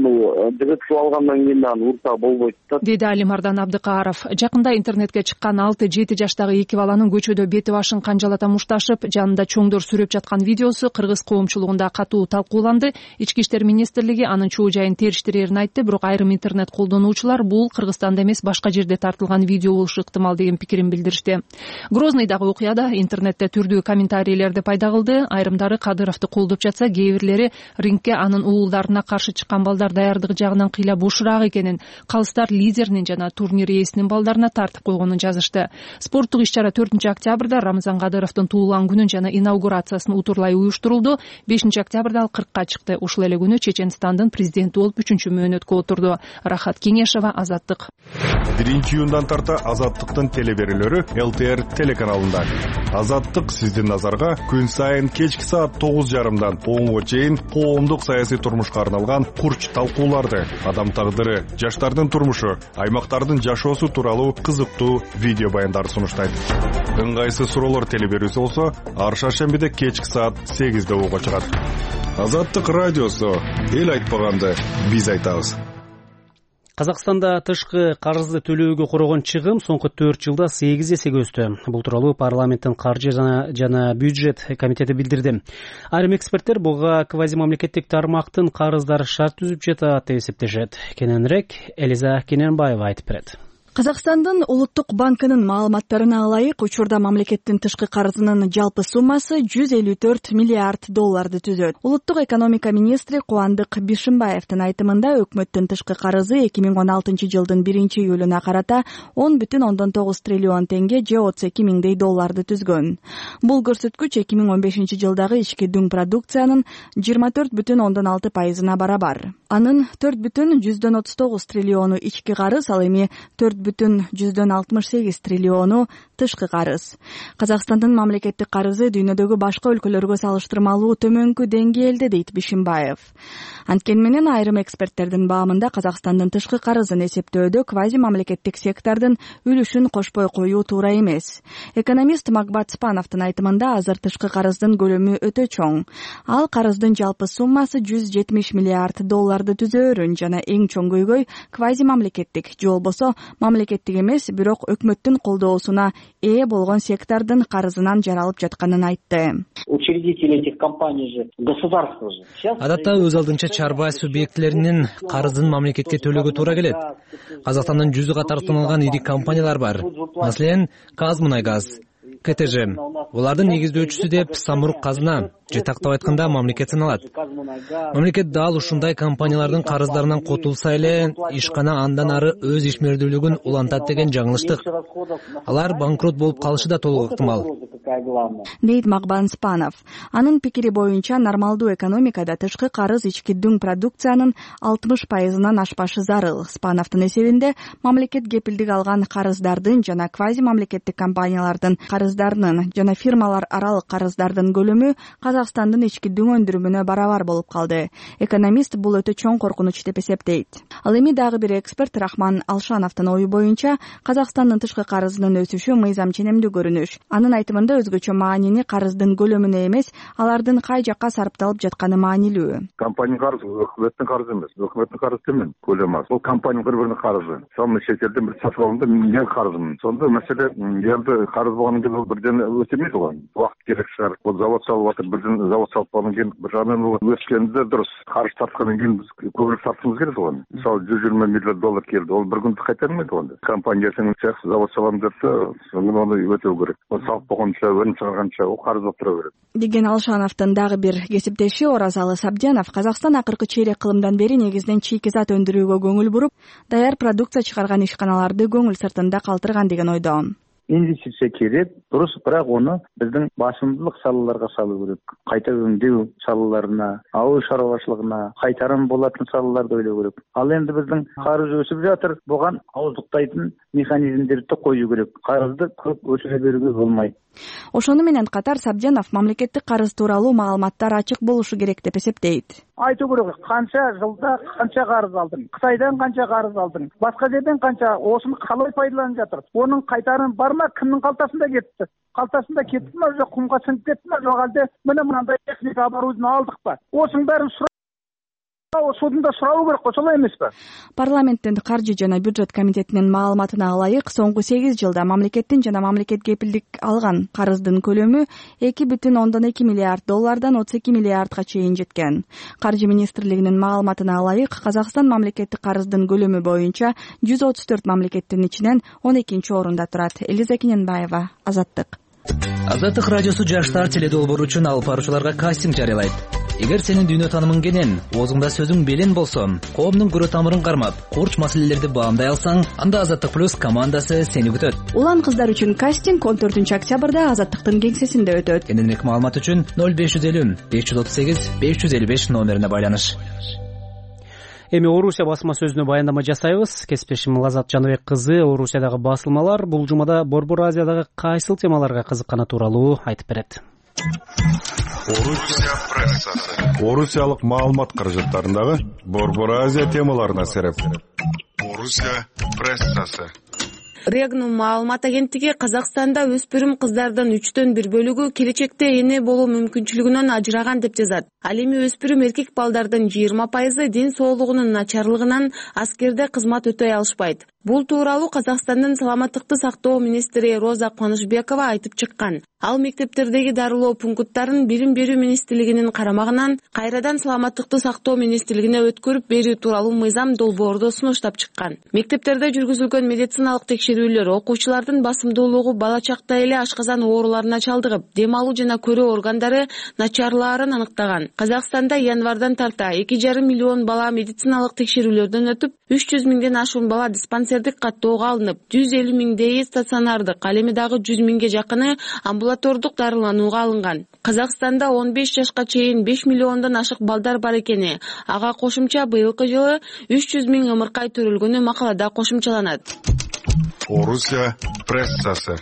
жыгытып алгандан кийин да урта болбойт да, деди Алимардан Абдыкааров. Жакында интернетке чыккан 6-7 жаштагы эки баланын көчөдө бети башын канжалата мушташып, жанында чоңдор сүрөп жаткан видеосу кыргыз коомчулугунда катуу талкууланды. Ички иштер министрлиги анын чоо жайын териштирерин айтты, бирок айрым интернет колдонуучулар бул Кыргызстанда эмес, башка жерде тартылган видео болушу ыктымал деген пикирин билдиришти. Грозныйдагы окуяда интернетте түрдүү комментарийлерди пайда кылды. Айрымдары Кадыровду колдоп жатса, кээ бирлери рингке анын уулдарына каршы чыккан балдар даярдыгы жагынан кыйла бошураак экенин, калыстар лидеринин жана турнир ээсинин балдарына тартып койгонун жазышты. Спорттук иш-чара 4-октябрда Рамзан Кадыровдун туулган күнүн жана инаугурациясын утурлай уюштурулду. 5-октябрда ал 40-ка чыкты. Ушул эле күнү Чеченстандын президенти болуп 3-чү мөөнөткө отурду. Рахат Кеңешова, Азаттык. 1-июндан тарта Азаттыктын телеберүүлөрү ЛТР телеканалында. Азаттык сиздин назарга күн сайын кечки саат 9:30дан 10:00 чейин коомдук саясий турмушка арналган курч талкууларды, адам тагдыры, жаштардын турмушу, аймактардын жашоосу тууралуу кызыктуу видео баяндарды сунуштайт. Ыңгайсыз суроолор телеберүүсү болсо, ар шаршембиде кечки саат 8:00 угуга чыгат. Азаттык радиосу, эл айтпаганды биз айтабыз. Казакстанда тышкы карызды төлөөгө корогон чыгым соңку 4 жылда 8 эсеге өстү. Бул тууралуу парламенттин каржы жана бюджет комитети билдирди. Айрым эксперттер буга квазимамлекеттик тармактын карыздары шарт түзүп жатат деп эсептешет. Кененирээк Элиза Кененбаева айтып берет. Казакстандын улуттук банкынын маалыматтарына ылайык, учурда мамлекеттин тышкы карызынын жалпы суммасы 154 миллиард долларды түзөт. Улуттук экономика министри Кубандык Бишимбаевдин айтымында өкмөттүн тышкы карызы 2016 жылдын 1-июлуна карата 10,9 триллион тенге же 32 миңдей долларды түзгөн. Бул көрсөткүч 2015 жылдагы ички дүң продукциянын 24,6%-на барабар. Анын 4,139 триллиону ички карыз, ал эми 4,168 триллиону тышкы карыз. Казакстандын мамлекеттик карызы дүйнөдөгү башка өлкөлөргө салыштырмалуу төмөнкү деңгээлде, дейт Бишимбаев. Анткени менен айрым эксперттердин баамында Казакстандын тышкы карызын эсептөөдө квази мамлекеттик сектордун үлүшүн кошпой коюу туура эмес. Экономист Макбат Спановдун айтымында азыр тышкы карыздын көлөмү өтө чоң. Ал карыздын жалпы суммасы 170 миллиард долларды түзөөрүн жана эң чоң көйгөй квази мамлекеттик же болбосо мамлекеттик эмес, бирок өкмөттүн колдоосуна ээ болгон сектордун карызынан жаралып жатканын айтты. Учредители этих компаний же государство же. Адатта өз алдынча чарба субъектлеринин карызын мамлекетке төлөөгө туура келет. Казакстандын 100 катар саналган ири компаниялар бар. Маселен, Казмунайгаз, КТЖ. Булардын негиздөөчүсү деп Самрук казына, жетактап айтканда мамлекет саналат. Мамлекет дал ушундай компаниялардын карыздарынан котулса эле, ишкана андан ары өз ишмердүүлүгүн улантат деген жаңылыштык. Алар банкрот болуп калышы да толук ыктымал. самое главное, дейт Магбан Спанов. Анын пикири боюнча нормалдуу экономикада тышкы карыз ички дүң продукциянын 60%-нан ашпашы зарыл. Спановдун эсебинде мамлекет кепилдик алган карыздардын жана квази мамлекеттик компаниялардын карыздарынын жана фирмалар аралык карыздардын көлөмү Казакстандын ички дүң өндүрүмүнө барабар болуп калды. Экономист бул өтө чоң коркунуч деп эсептейт. Ал эми дагы бир эксперт Рахман Алшановдун ою боюнча Казакстандын тышкы карызынын өсүшү мыйзам ченемдүү көрүнүш. Анын айтымында өзгөчө маанини карыздын көлөмүнө эмес, алардын кай жакка сарпталып жатканы маанилүү. Компания карызы өкмөттүн карызы эмес. Өкмөттүн карызы темен көлөмү аз. Бул компания бири-биринин карызы. Сонун чет элден бир сатып алганда мен карызмын. Сонда маселе эми карыз болгондон кийин бирден өсөмөйт го. Убакыт керек шығар. Бул завод салып атып, бирден завод салып алгандан кийин бир жагынан өскөндө дурус. Карыз тарткандан кийин биз көбүрөөк тартышыбыз керек го. Мисалы $120 миллион келди. Ол бир күндө кайтармайт го. Компания сенин чаксы завод салам депсе, аны өтөө керек. Ол салып болгонча, өнүм чыгарганча ол карыз болуп тура берет. Деген Алшановдун дагы бир кесиптеши Оразалы Сабдянов Казакстан акыркы чейрек кылымдан бери негизинен чийки зат өндүрүүгө көңүл буруп, даяр продукция чыгарган ишканаларды көңүл сыртында калтырган деген ойдо. Инвестиция керек, дурус, бирок оны биздин басымдуулук салаларга салуу керек. Кайта өңдөө салаларына, ауыл шаруашылыгына, кайтарым болатын салаларды ойлоо керек. Ал энди биздин карыз өсүп жатыр, буга ауыздуктайтын механизмдерди коюу керек. Карызды көп өсүрө берүүгө болмойт. Ошону менен катар Сабдянов мамлекеттик карыз тууралуу маалыматтар ачык болушу керек деп эсептейт. Айтуу керек, канча жылда канча карыз алдың, Кытайдан канча карыз алдың, башка жерден канча, осуну калай пайдаланып жатыр. Онун кайтарымы бармы, кимдин калтасында кетти? Калтасында кеттиби, жок кумга сиңип кеттиби, жок алде мындай техника оборудование алдык ба? Осунун баарын судunda сурабы керек го, солай эмеспи? Парламенттин каржы жана бюджет комитетинин маалыматына ылайык, соңку 8 жылда мамлекеттин жана мамлекет кепилдик алган карыздын көлөмү $2.2 миллиард $32 миллиардга чейин жеткен. Каржы министрлигинин маалыматына ылайык, Казакстан мамлекеттик карыздын көлөмү боюнча 134 мамлекеттин ичинен 12-орунда турат. Элиза Кененбаева, Азаттык. Азаттык радиосу жаштар теледолбоору үчүн алып баруучуларга кастинг жарыялайт. Эгер сенин дүйнө таанымың кенен, оозуңда сөзүң белен болсо, коомдун көрө тамырын кармап, курч маселелерди баамдай алсаң, анда Азаттык плюс командасы сени күтөт. Улан кыздар үчүн кастинг 14-октябрда Азаттыктын кеңсесинде өтөт. Кененирээк маалымат үчүн 0550 538 555 номерине байланыш. Эми Орусия басма сөзүнө баяндама жасайбыз. Кесиптешим Лазат Жаныбек кызы Орусиядагы басылмалар бул жумада Борбор Азиядагы кайсыл темаларга кызыкканы тууралуу айтып берет. Орусия прессасы. Орусиялык маалымат каражаттарындагы Борбор Азия темаларына сереп. Орусия прессасы. Регнум маалымат агенттиги Казакстанда өспүрүм кыздардын 1/3 бөлүгү келечекте эне болуу мүмкүнчүлүгүнөн ажыраган деп жазат. Ал эми өспүрүм эркек балдардын 20% ден соолугунун начарлыгынан аскерде кызмат өтөй алышпайт. Бул тууралуу Казакстандын саламаттыкты сактоо министри Роза Кубанычбекова айтып чыккан. Ал мектептердеги дарылоо пункттарын билим берүү министрлигинин карамагынан кайрадан саламаттыкты сактоо министрлигине өткөрүп берүү тууралуу мыйзам долбоордо сунуштап чыккан. Мектептерде жүргүзүлгөн медициналык текшерүүлөр окуучулардын басымдуулугу бала чакта эле ашказан ооруларына чалдыгып, дем алуу жана көрүү органдары начарлаарын аныктаган. Казакстанда январдан тарта 2,5 миллион бала медициналык текшерүүлөрдөн өтүп, 300 миңден ашуун бала диспансердик каттоого алынып, 150 миңдейи стационардык, ал эми дагы 100 миңге жакыны амбулатордук дарыланууга алынган. Казакстанда 15 жашка чейин 5 миллиондон ашык балдар бар экени, ага кошумча быйылкы жылы 300 миң ымыркай төрөлгөнү макалада кошумчаланат. Орусия прессасы.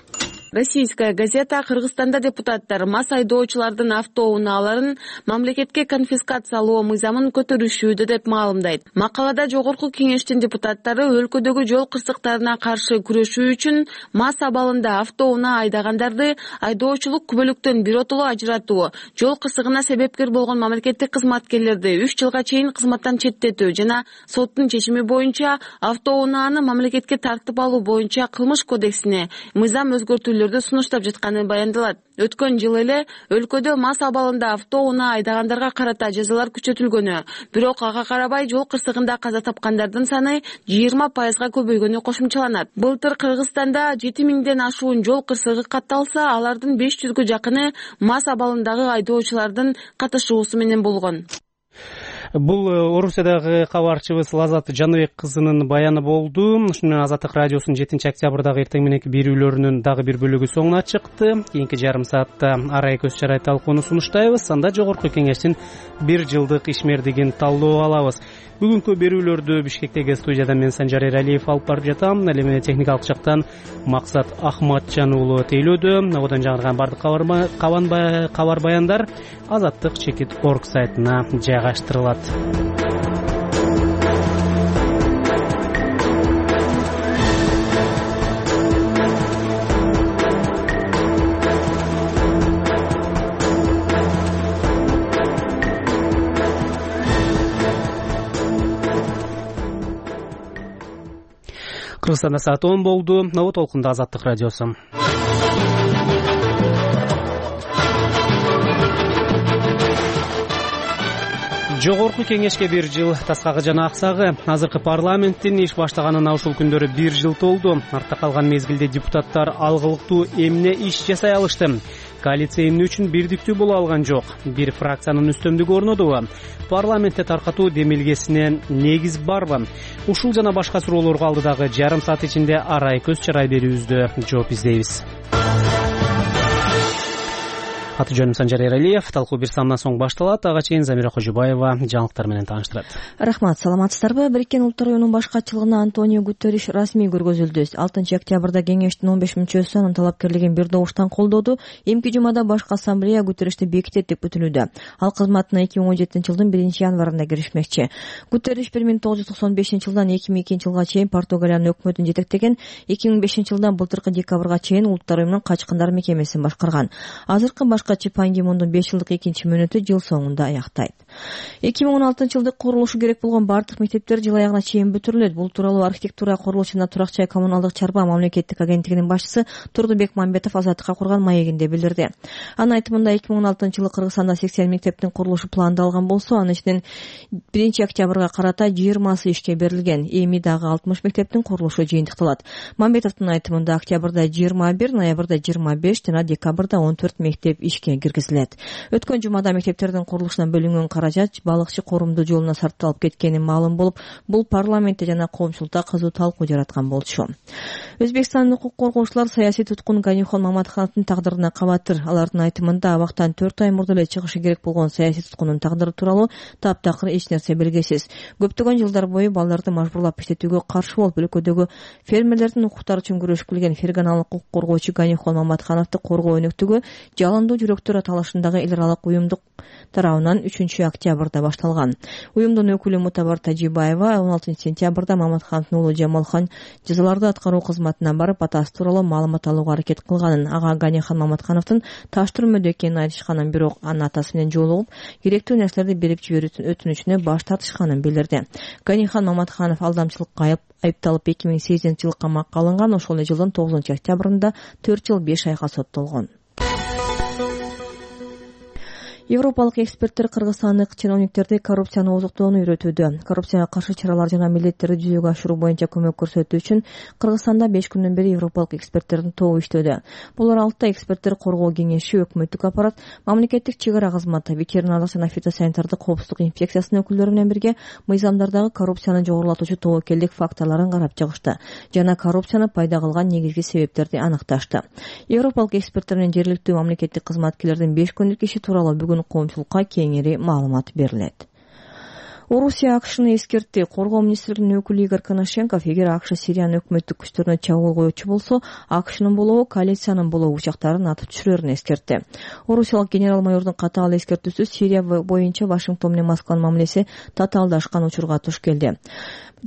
Российская газета Кыргызстанда депутаттар мас айдоочулардын автоунааларын мамлекетке конфискациялоо мыйзамын көтөрүшүүдө деп маалымдайт. Макалада жогорку кеңештин депутаттары өлкөдөгү жол кырсыктарына каршы күрөшүү үчүн мас абалында автоунаа айдагандарды айдоочулук күбөлүктөн биротоло ажыратуу, жол кырсыгына себепкер болгон мамлекеттик кызматкерлерди 3 жылга чейин кызматтан четтетүү жана соттун чечими боюнча автоунааны мамлекетке тартып алуу боюнча кылмыш кодексине мыйзам өзгөртүүлөрдү сунуштап жатканы баяндалат. Өткөн жылы эле өлкөдө мас абалында автоунаа айдагандарга карата жазалар күчөтүлгөнү, бирок ага карабай жол кырсыгында каза тапкандардын саны 20%га көбөйгөнү кошумчаланат. Былтыр Кыргызстанда 7 миңден ашуун жол кырсыгы катталса, алардын 500гө жакыны мас абалындагы айдоочулардын катышуусу менен болгон. Бул Орусиядагы кабарчыбыз Лазат Жаныбек кызынын баяны болду. Ушуну менен Азаттык радиосунун 7-октябрдагы эртең мененки берүүлөрүнүн дагы бир бөлүгү соңуна чыкты. Кийинки жарым саатта арай көз чарай талкууну сунуштайбыз. Анда жогорку кеңештин 1 жылдык ишмердигин талдоо алабыз. Бүгүнкү берүүлөрдү Бишкектеги студиядан мен Санжар Эралиев алып барып жатам. Ал эми техникалык жактан Максат Ахматжан уулу тейлөөдө. Абодан жаңырган бардык кабар баяндар Азаттык.org сайтына жайгаштырылат. Кыргызстанда саат 10 болду. Ново толкунда Азаттык радиосу. Жогорку кеңешке 1 жыл таскагы жана аксагы. Азыркы парламенттин иш баштаганына ушул күндөрү 1 жыл толду. Артта калган мезгилде депутаттар алгылыктуу эмне иш жасай алышты? Коалиция эмне үчүн бирдиктүү боло алган жок? Бир фракциянын үстөмдүгү орнодубу? Парламентте таркатуу демилгесине негиз барбы? Ушул жана башка суроолорго алдыдагы жарым саат ичинде арай көз чарай берүүбүздө жооп издейбиз. Аты жөнүм Санжар Эралиев. Талкуу бир самдан соң башталат. Ага чейин Замира Кожубаева жаңылыктар менен тааныштырат. Рахмат, саламатсыздарбы? Бириккен Улуттар уюмунун башкачылыгына Антонио Гутерриш расмий көргөзүлдү. 6-октябрда кеңештин 15 мүчөсү анын талапкерлигин бир добуштан колдоду. Эмки жумада башкы ассамблея Гутерришти бекитет деп күтүлүүдө. Ал кызматына 2017-жылдын 1-январында киришмекчи. Гутерриш 1995-жылдан 2002-жылга чейин Португалиянын өкмөтүн жетектеген, 2005-жылдан былтыркы декабрга чейин Улуттар уюмунун качкындар мекемесин башкарган. Азыркы башкачы Пан Ги Мундун 5 жылдык экинчи мөөнөтү жыл соңунда аяктайт. 2016-жылдык курулушу керек болгон бардык мектептер жыл аягына чейин бүтүрүлөт. Бул тууралуу архитектура, курулуш жана турак жай коммуналдык чарба мамлекеттик агенттигинин башчысы Турдубек Мамбетов Азаттыкка курган маегинде билдирди. Анын айтымында 2016-жылы Кыргызстанда 80 мектептин курулушу пландалган болсо, анын ичинен 1-октябрга карата 20сы ишке берилген. Эми дагы 60 мектептин курулушу жыйынтыкталат. Мамбетовдун айтымында октябрда 21, ноябрда 25 жана декабрда 14 мектеп ишке киргизилет. Өткөн жумада мектептердин курулушуна бөлүнгөн каражат балыкчы корумдуу жолуна сарпталып кеткени маалым болуп, бул парламентте жана коомчулукта кызуу талкуу жараткан болчу. Өзбекстандын укук коргоочулар саясий туткун Ганихон Маматхановдун тагдырына кабатыр. Алардын айтымында абактан 4 ай мурда эле чыгышы керек болгон саясий туткундун тагдыры тууралуу таптакыр эч нерсе белгисиз. Көптөгөн жылдар бою балдарды мажбурлап иштетүүгө каршы болуп, өлкөдөгү фермерлердин укуктары үчүн күрөшүп келген ферганалык укук коргоочу Ганихон Маматхановду коргоо өнөктүгү жалындуу жүрөктөр аталышындагы эл аралык уюмдук тарабынан 3-октябрда башталган. Уюмдун өкүлү Мутабар Тажибаева 16-сентябрда Маматхановдун уулу Жамалхан жазаларды аткаруу кызматына барып, атасы тууралуу маалымат алууга аракет кылганын, ага Ганихон Маматхановдун таш түрмөдө экенин айтышканын, бирок анын атасы менен жолугуп, керектүү нерселерди берип жиберүүнүн өтүнүчүнө баш тартышканын билдирди. Ганихон Маматханов алдамчылыкка айыпталып 2008-жылы камакка алынган. Ошол эле жылдын 9-октябрында 4 жыл 5 айга соттолгон. Европалык эксперттер кыргызстандык чиновниктерди коррупцияны ооздуктоону үйрөтүүдө. Коррупцияга каршы чаралар жана милдеттерди жүзөгө ашыруу боюнча көмөк көрсөтүү үчүн Кыргызстанда 5 күндөн бери европалык эксперттердин тобу иштөөдө. Булар алтта эксперттер коргоо кеңеши, өкмөттүк аппарат, мамлекеттик чек ара кызматы, ветеринардык жана фитосанитардык коопсуздук инфекциясынын өкүлдөрү менен бирге мыйзамдардагы коррупцияны жогорулатуучу тобокелдик факторлорун карап чыгышты жана коррупцияны пайда кылган негизги себептерди аныкташты. Европалык эксперттер менен жергиликтүү мамлекеттик кызматкерлердин 5 күндүк иши тууралуу бүгүн коомчулукка кеңири маалымат берилет. Орусия АКШны эскертти. Коргоо министрлигинин өкүлү Игорь Коношенков, эгер АКШ Сириянын өкмөттүк күчтөрүнө чабуул коюучу болсо, АКШнын болобу, коалициянын болобу учактарын атып түшүрөрүн эскертти. Орусиялык генерал-майордун катаал эскертүүсү Сирия боюнча Вашингтон менен Москванын мамилеси татаалдашкан учурга туш келди.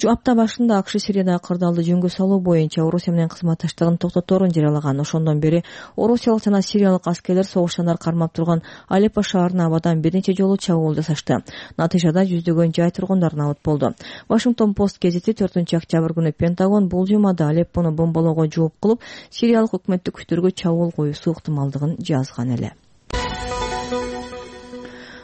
Апта башында АКШ Сириядагы кырдаалды жөнгө салуу боюнча Орусия менен кызматташтыгын токтоторун жарыялаган. Ошондон бери орусиялык жана сириялык аскерлер согуштандар кармап турган Алеппо шаарына абадан бир нече жолу чабуул жасашты. Натыйжада жүздөгөн жай тургундар набыт болду. Вашингтон Пост гезити 4-октябрь күнү Пентагон бул жумада Алеппону бомбалоого жооп кылып, сириялык өкмөттүк күчтөргө чабуул коюусу ыктымалдыгын жазган эле.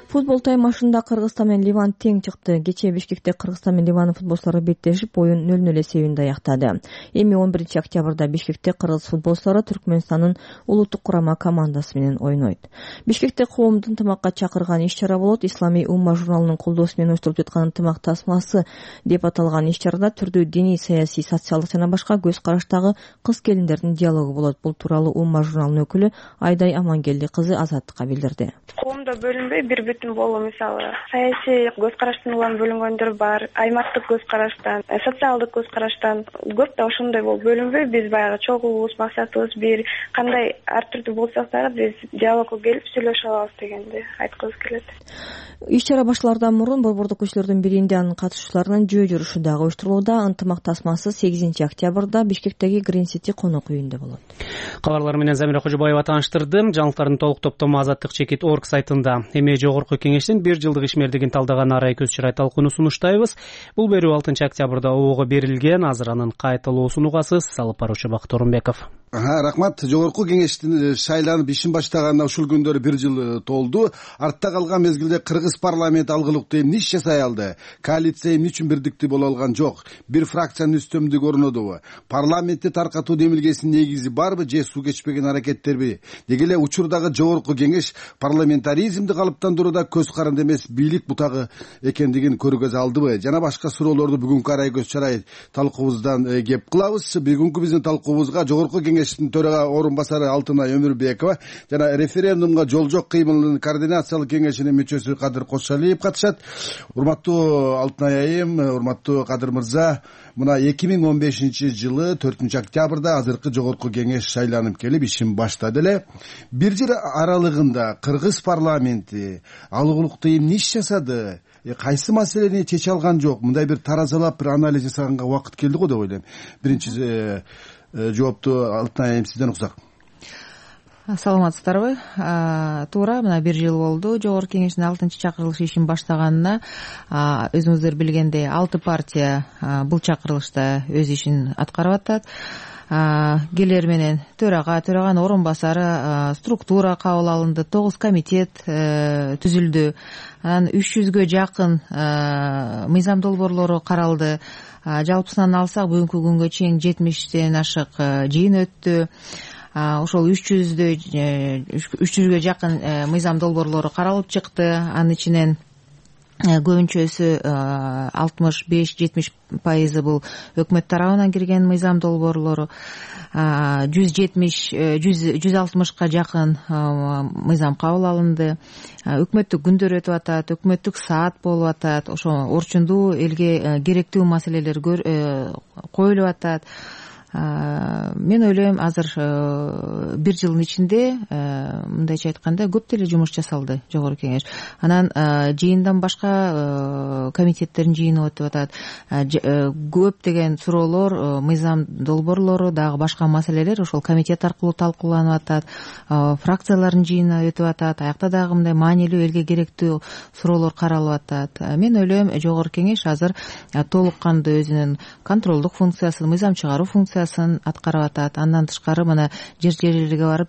Футбол таймашында Кыргызстан менен Ливан тең чыкты. Кечээ Бишкекте Кыргызстан менен Ливандын футболчулары беттешип, оюн 0-0 эсебинде аяктады. Эми 11-октябрда Бишкекте кыргыз футболчулары Түркмөнстандын улуттук курама командасы менен ойнойт. Бишкекте коомду ынтымакка чакырган иш-чара болот. Исламий умма журналынын колдоосу менен уюштурулуп жаткан ынтымак тасмасы деп аталган иш-чарада түрдүү диний, саясий, социалдык жана башка көз караштагы кыз-келиндердин диалогу болот. Бул тууралуу умма журналынын өкүлү Айдай Амангелди кызы Азаттыкка билдирди. Коомдо бөлүнбөй бир бүтүн болуу, мисалы саясий көз караштан улам бөлүнгөндөр бар, аймактык көз караштан, социалдык көз караштан көп да ошондой болуп бөлүнбөй биз баягы чогуубуз, максатыбыз бир, кандай ар түрдүү болсок дагы биз диалогко келип сүйлөшө алабыз дегенди айткыбыз келет. Иш-чара башлаардан мурун борбордук көчөлөрдүн биринде анын катышуучуларынын жөө жүрүшү дагы уюштурулууда. Ынтымак тасмасы 8-октябрда Бишкектеги Green City конок үйүндө болот. Кабарлар менен Замира Кожобаева тааныштырды. Жаңылыктардын толук топтому Азаттык.org сайтында. Эми жогорку кеңештин 1 жылдык ишмердигин талдаган арай көз чырай талкууну сунуштайбыз. Бул берүү 6-октябрда ООГко берилген. Азыр анын кайталоосун угасыз. Алып баруучу Бакыт Орунбеков. Рахмат. Жогорку кеңештин шайланып ишин баштаганына ушул күндөрү 1 жыл толду. Артта калган мезгилде Кыргыз парламенти алгылыктуу эмне иш жасай алды? Коалиция эмне үчүн бирдиктүү боло алган жок? Бир фракциянын үстөмдүгү орнодубу? Парламентти таркатуу демилгесинин негизи барбы же суу кечпеген аракеттерби? Деги эле учурдагы жогорку кеңеш парламентаризмди калыптандырууда көз каранды эмес бийлик бутагы экендигин көргөзө алдыбы? Жана башка суроолорду бүгүнкү арай көз чарай талкуубуздан кеп кылабыз. Бүгүнкү биздин талкуубузга жогорку кеңештин төрага орун басары Алтынай Өмүрбекова жана референдумга жол жок кыймылынын координациялык кеңешинин мүчөсү Кадыр Кошалиев катышат. Урматтуу Алтынай айым, урматтуу Кадыр мырза, мына 2015-жылы 4-октябрда азыркы жогорку кеңеш шайланып келип ишин баштады эле. 1 жыл аралыгында Кыргыз парламенти алгылыктуу эмне иш жасады? Кайсы маселени чече алган жок? Мындай бир таразалап бир анализ жасаганга убакыт келди го деп ойлойм. Биринчи жоопту Алтынай айым сизден уксак. Саламатсыздарбы? Туура, мына 1 жыл болду жогорку кеңештин 6-чакырылышы ишин баштаганына. Өзүңүздөр билгендей 6 партия бул чакырылышта өз ишин аткарып атат. Келер менен төраганын орун басары, структура кабыл алынды, 9 комитет түзүлдү. Анан 300гө жакын мыйзам долбоорлору каралды. Жалпысынан алсак бүгүнкү күнгө чейин 70тен ашык жыйын өттү. Ошол 300гө жакын мыйзам долбоорлору каралып чыкты. Анын ичинен көбүнчөсү 65-70% бул өкмөт тарабынан кирген мыйзам долбоорлору. 160ка жакын мыйзам кабыл алынды. Өкмөттүк күндөр өтүп атат, өкмөттүк саат болуп атат. Ошо орчундуу элге керектүү маселелер коюлуп атат. Мен ойлойм, азыр 1 жылдын ичинде мындайча айтканда көп деле жумуш жасалды жогорку кеңеш. Анан жыйындан башка комитеттердин жыйыны өтүп атат. Көптөгөн суроолор, мыйзам долбоорлору, дагы башка маселелер ошол комитет аркылуу талкууланып атат. Фракциялардын жыйыны өтүп атат. Аякта дагы мындай маанилүү элге керектүү суроолор каралып атат. Мен ойлойм, жогорку кеңеш азыр толук кандуу өзүнүн контролдук функциясын, мыйзам чыгаруу функциясын аткарып атат. Андан тышкары мына жер-жерлерге барып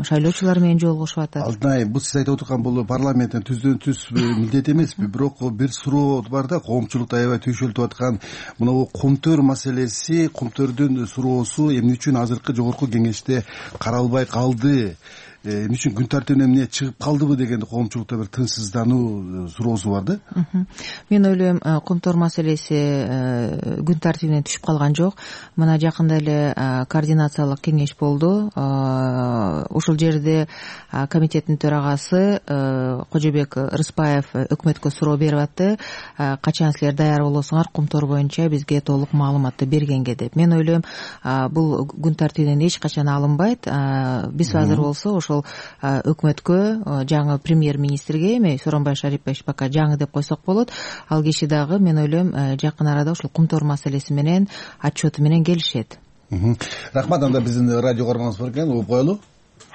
шайлоочулар менен жолугушуп атат. Алтынай, бул сиз айтып отурган бул парламенттин түздөн-түз милдет эмеспи? Бирок бир суроо бар да, коомчулукта аябай түйшөлтүп аткан мына кумтөр маселеси, кумтөрдүн суроосу эмне үчүн азыркы жогорку кеңеште каралбай калды? Эмне үчүн күн тартибине эмне чыгып калдыбы деген коомчулукта бир тынчсыздануу суроосу бар да. Мен ойлойм, кумтор маселеси күн тартибинен түшүп калган жок. Мына жакында эле координациялык кеңеш болду. Ушул жерде комитеттин төрагасы Кожобек Рыспаев өкмөткө суроо берип атты. Качан силер даяр болосуңар кумтор боюнча бизге толук маалыматты бергенге деп. Мен ойлойм, бул күн тартибинен эч качан алынбайт. Биз азыр болсо ошол өкмөткө, жаңы премьер-министрге, эми Сооронбай Шарипович пока жаңы деп койсок болот, ал киши дагы мен ойлойм жакын арада ушул кумтор маселеси менен отчету менен келишет. Рахмат. Анда биздин радио көргөнүңүз бар экен, угуп коелу.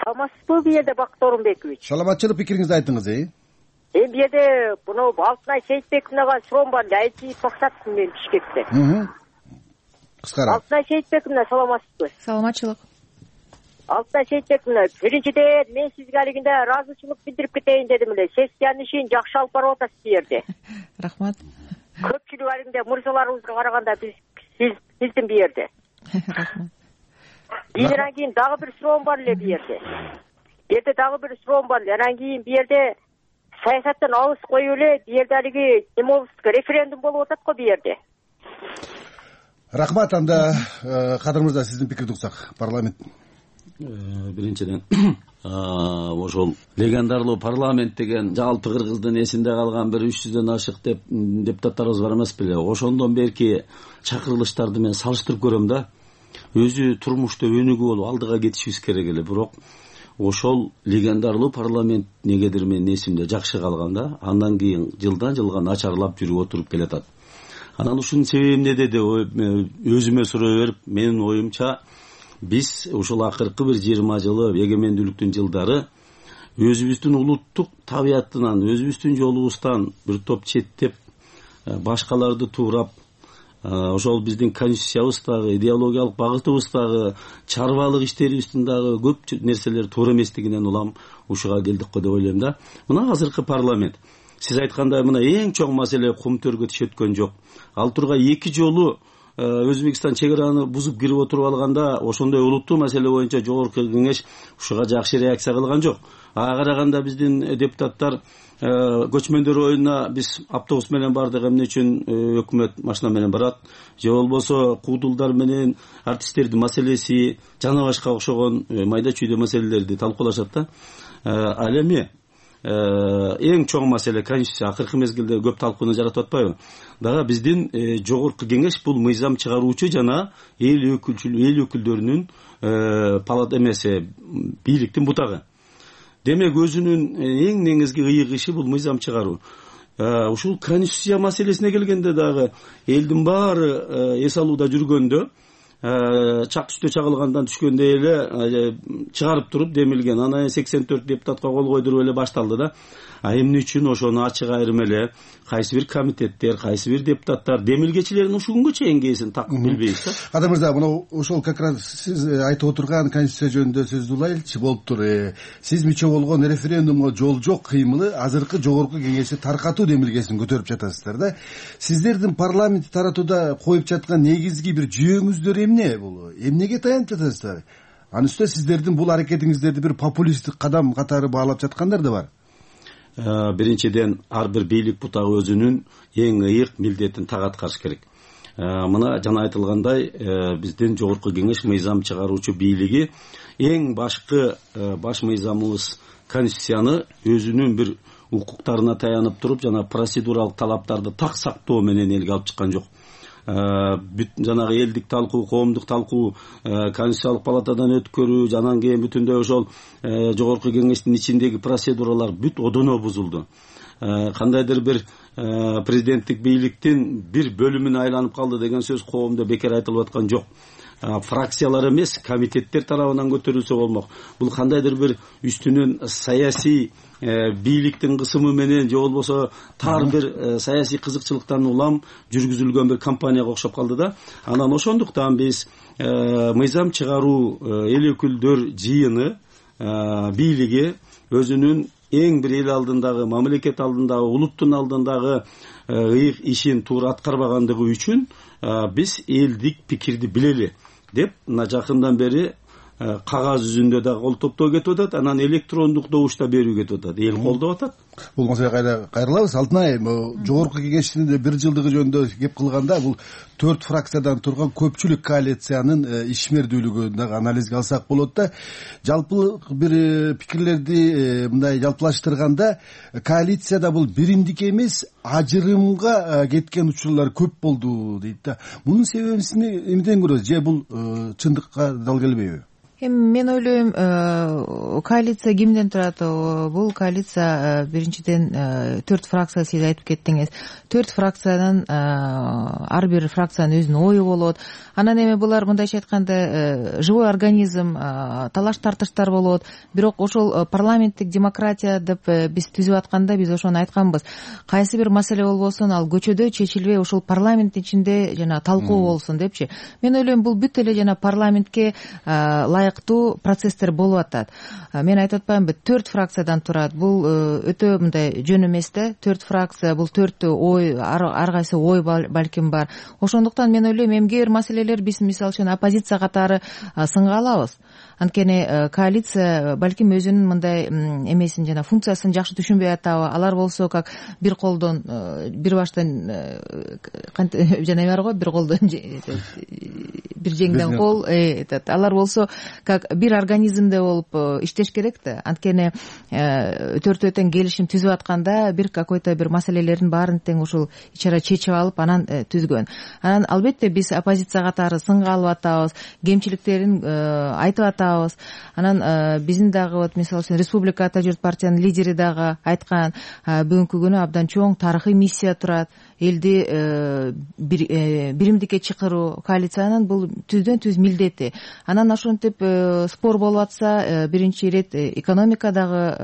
Саламатсызбы, бул жерде Бакыт Орунбекович? Саламатчылык, пикириңизди айтыңыз. Бул жерде мына Алтынай Сейитбековнага суроом бар. Айти токсаттым мен Бишкекте. Кыскара. Алтынай Сейитбековна, саламатсызбы? Саламатчылык. Алтынай Сейитбековна, биринчиден мен сизге алигинде ыраазычылык билдирип кетейин дедим эле. Сессиянын ишин жакшы алып барып атасыз бу жерде. Рахмат. Көпчүлүк алигинде мырзаларыбызга караганда биздин бу жерде. Рахмат. Анан кийин дагы бир суроом бар эле бу жерде. Бу жерде дагы бир суроом бар эле. Анан кийин бу жерде саясаттан алыс коюп эле, бу жерде алиги эме болуп референдум болуп атат го бу жерде. Рахмат. Анда Кадыр мырза, сиздин пикирди уксак. Парламент биринчиден ошол легендарлуу парламент деген жалпы кыргыздын эсинде калган бир 300дөн ашык депутаттарыбыз бар эмес беле. Ошондон берки чакырылыштарды мен салыштырып көрөм да. Өзү турмушта өнүгүү болуп алдыга кетишибиз керек эле. Бирок ошол легендарлуу парламент негедир менин эсимде жакшы калган да. Андан кийин жылдан жылга начарлап жүрүп отуруп келатат. Анан ушунун себеби эмнеде деп өзүмө суроо берип, менин оюмча биз ушул акыркы бир 20 жылы эгемендүүлүктүн жылдары өзүбүздүн улуттук табиятынан, өзүбүздүн жолубуздан бир топ четтеп, башкаларды туурап, ошол биздин конституциябыздагы, идеологиялык багытыбыздагы, чарбалык иштерибиздин дагы көп нерселер туура эместигинен улам ушуга келдик го деп ойлойм да. Мына азыркы парламент, сиз айткандай, мына эң чоң маселе кум төргө тиш өткөн жок. Ал тургай 2 жолу Өзбекстан чек араны бузуп кирип отуруп алганда, ошондой улуттуу маселе боюнча жогорку кеңеш ушуга жакшы реакция кылган жок. Ага караганда биздин депутаттар көчмөндөр оюна биз автобус менен бардык, эмне үчүн өкмөт машина менен барат, же болбосо куудулдар менен артисттердин маселеси, жана башка окшогон майда чүйдө маселелерди талкуулашат да. Ал эми эң чоң маселе конституция акыркы мезгилде көп талкууну жаратып атпайбы? Дагы биздин жогорку кеңеш бул мыйзам чыгаруучу жана эл өкүлдөрүнүн палата эмеси, бийликтин бутагы. Демек өзүнүн эң негизги ыйык иши бул мыйзам чыгаруу. Ушул конституция маселесине келгенде дагы элдин баары эс алууда жүргөндө, чак үстө чагылгандан түшкөндө эле чыгарып туруп демилген. Анан 84 депутатка кол койдуруп эле башталды да. Эмне үчүн ошону ачык айрым эле кайсы бир комитеттер, кайсы бир депутаттар демилгечилердин ушул күнгө чейин кээсин такып билбейбиз да. Кадыр мырза, мына ошол как раз сиз айтып отурган конституция жөнүндө сөздү улайлычы болуптур. Сиз миче болгон референдумга жол жок кыймылы азыркы жогорку кеңешти таркатуу демилгесин көтөрүп жатасыздар да. Сиздердин парламентти таратууда коюп жаткан негизги бир жүйөңүздөр эмне бул? Эмнеге таянып жатасыздар? Анын үстүнө сиздердин бул аракетиңиздерди бир популисттик кадам катары баалап жаткандар да бар. Биринчиден ар бир бийлик бутагы өзүнүн эң ыйык милдетин так аткарыш керек. Мына жана айтылгандай, биздин жогорку кеңеш мыйзам чыгаруучу бийлиги эң башкы баш мыйзамыбыз конституцияны өзүнүн бир укуктарына таянып туруп, жана процедуралык талаптарды так сактоо менен элге алып чыккан жок. Жанагы элдик талкуу, коомдук талкуу, конституциялык палатадан өткөрүү, анан кийин бүтүндөй ошол жогорку кеңештин ичиндеги процедуралар бүт одоно бузулду. Кандайдыр бир президенттик бийликтин бир бөлүмүнө айланып калды деген сөз коомдо бекер айтылып аткан жок. Фракциялар эмес, комитеттер тарабынан көтөрүлсө болмок. Бул кандайдыр бир үстүнөн саясий бийликтин кысымы менен, же болбосо тар бир саясий кызыкчылыктан улам жүргүзүлгөн бир кампанияга окшоп калды да. Анан ошондуктан биз мыйзам чыгаруу эл өкүлдөр жыйыны бийлиги өзүнүн эң бир эл алдындагы, мамлекет алдындагы, улуттун алдындагы ыйык ишин туура аткарбагандыгы үчүн биз элдик пикирди билели деп мына жакындан бери кагаз жүзүндө да кол топтоо кетип атат, анан электрондук добушта берүү кетип атат, эл колдоп атат. Бул маселеге кайрылабыз. Алтынай, жогорку кеңештин бир жылдыгы жөнүндө кеп кылганда, бул 4 фракциядан турган көпчүлүк коалициянын ишмердүүлүгүн дагы анализге алсак болот да. Жалпы бир пикирлерди мындай жалпылаштырганда, коалицияда бул биримдик эмес, ажырымга кеткен учурлар көп болду дейт да. Мунун себебин эмнеден көрөсүз? Же бул чындыкка дал келбейби? Мен ойлойм, коалиция кимден турат? Бул коалиция биринчиден 4 фракция, сиз айтып кеттиңиз. 4 фракциядан ар бир фракциянын өзүнүн ою болот. Анан эми булар мындайча айтканда живой организм, талаш тартыштар болот. Бирок ошол парламенттик демократия деп биз түзүп атканда биз ошону айтканбыз. Кайсы бир маселе болбосун, ал көчөдө чечилбей ошол парламент ичинде жана талкуу болсун депчи. Мен ойлойм, бул бүт эле жана парламентке ылайыктуу процесстер болуп атат. Мен айтып атпаймынбы, 4 фракциядан турат. Бул өтө мындай жөн эмес да. 4 фракция, бул 4 ой, ар кайсы ой балким бар. Ошондуктан мен ойлойм, эмгеге бир маселелер биз мисалы үчүн оппозиция катары сынга алабыз. Анткени коалиция балким өзүнүн мындай эмесин жана функциясын жакшы түшүнбөй атабы. Алар болсо как бир колдон бир баштан жана бар го, бир колдон бир жеңден кол. Алар болсо как бир организмде болуп иштеш керек да. Анткени төртөөтөн келишим түзүп атканда бир какой-то бир маселелердин баарын тең ушул ичара чечип алып анан түзгөн. Анан албетте биз оппозиция катары сынга алып атабыз, кемчиликтерин айтып атабыз. Анан биздин дагы вот мисалы үчүн Республика ата журт партиянын лидери дагы айткан, бүгүнкү күнү абдан чоң тарыхый миссия турат. Элди биримдикке чакыруу коалициянын бул түздөн түз милдети. Анан ошентип спор болуп атса, биринчи ирет экономикадагы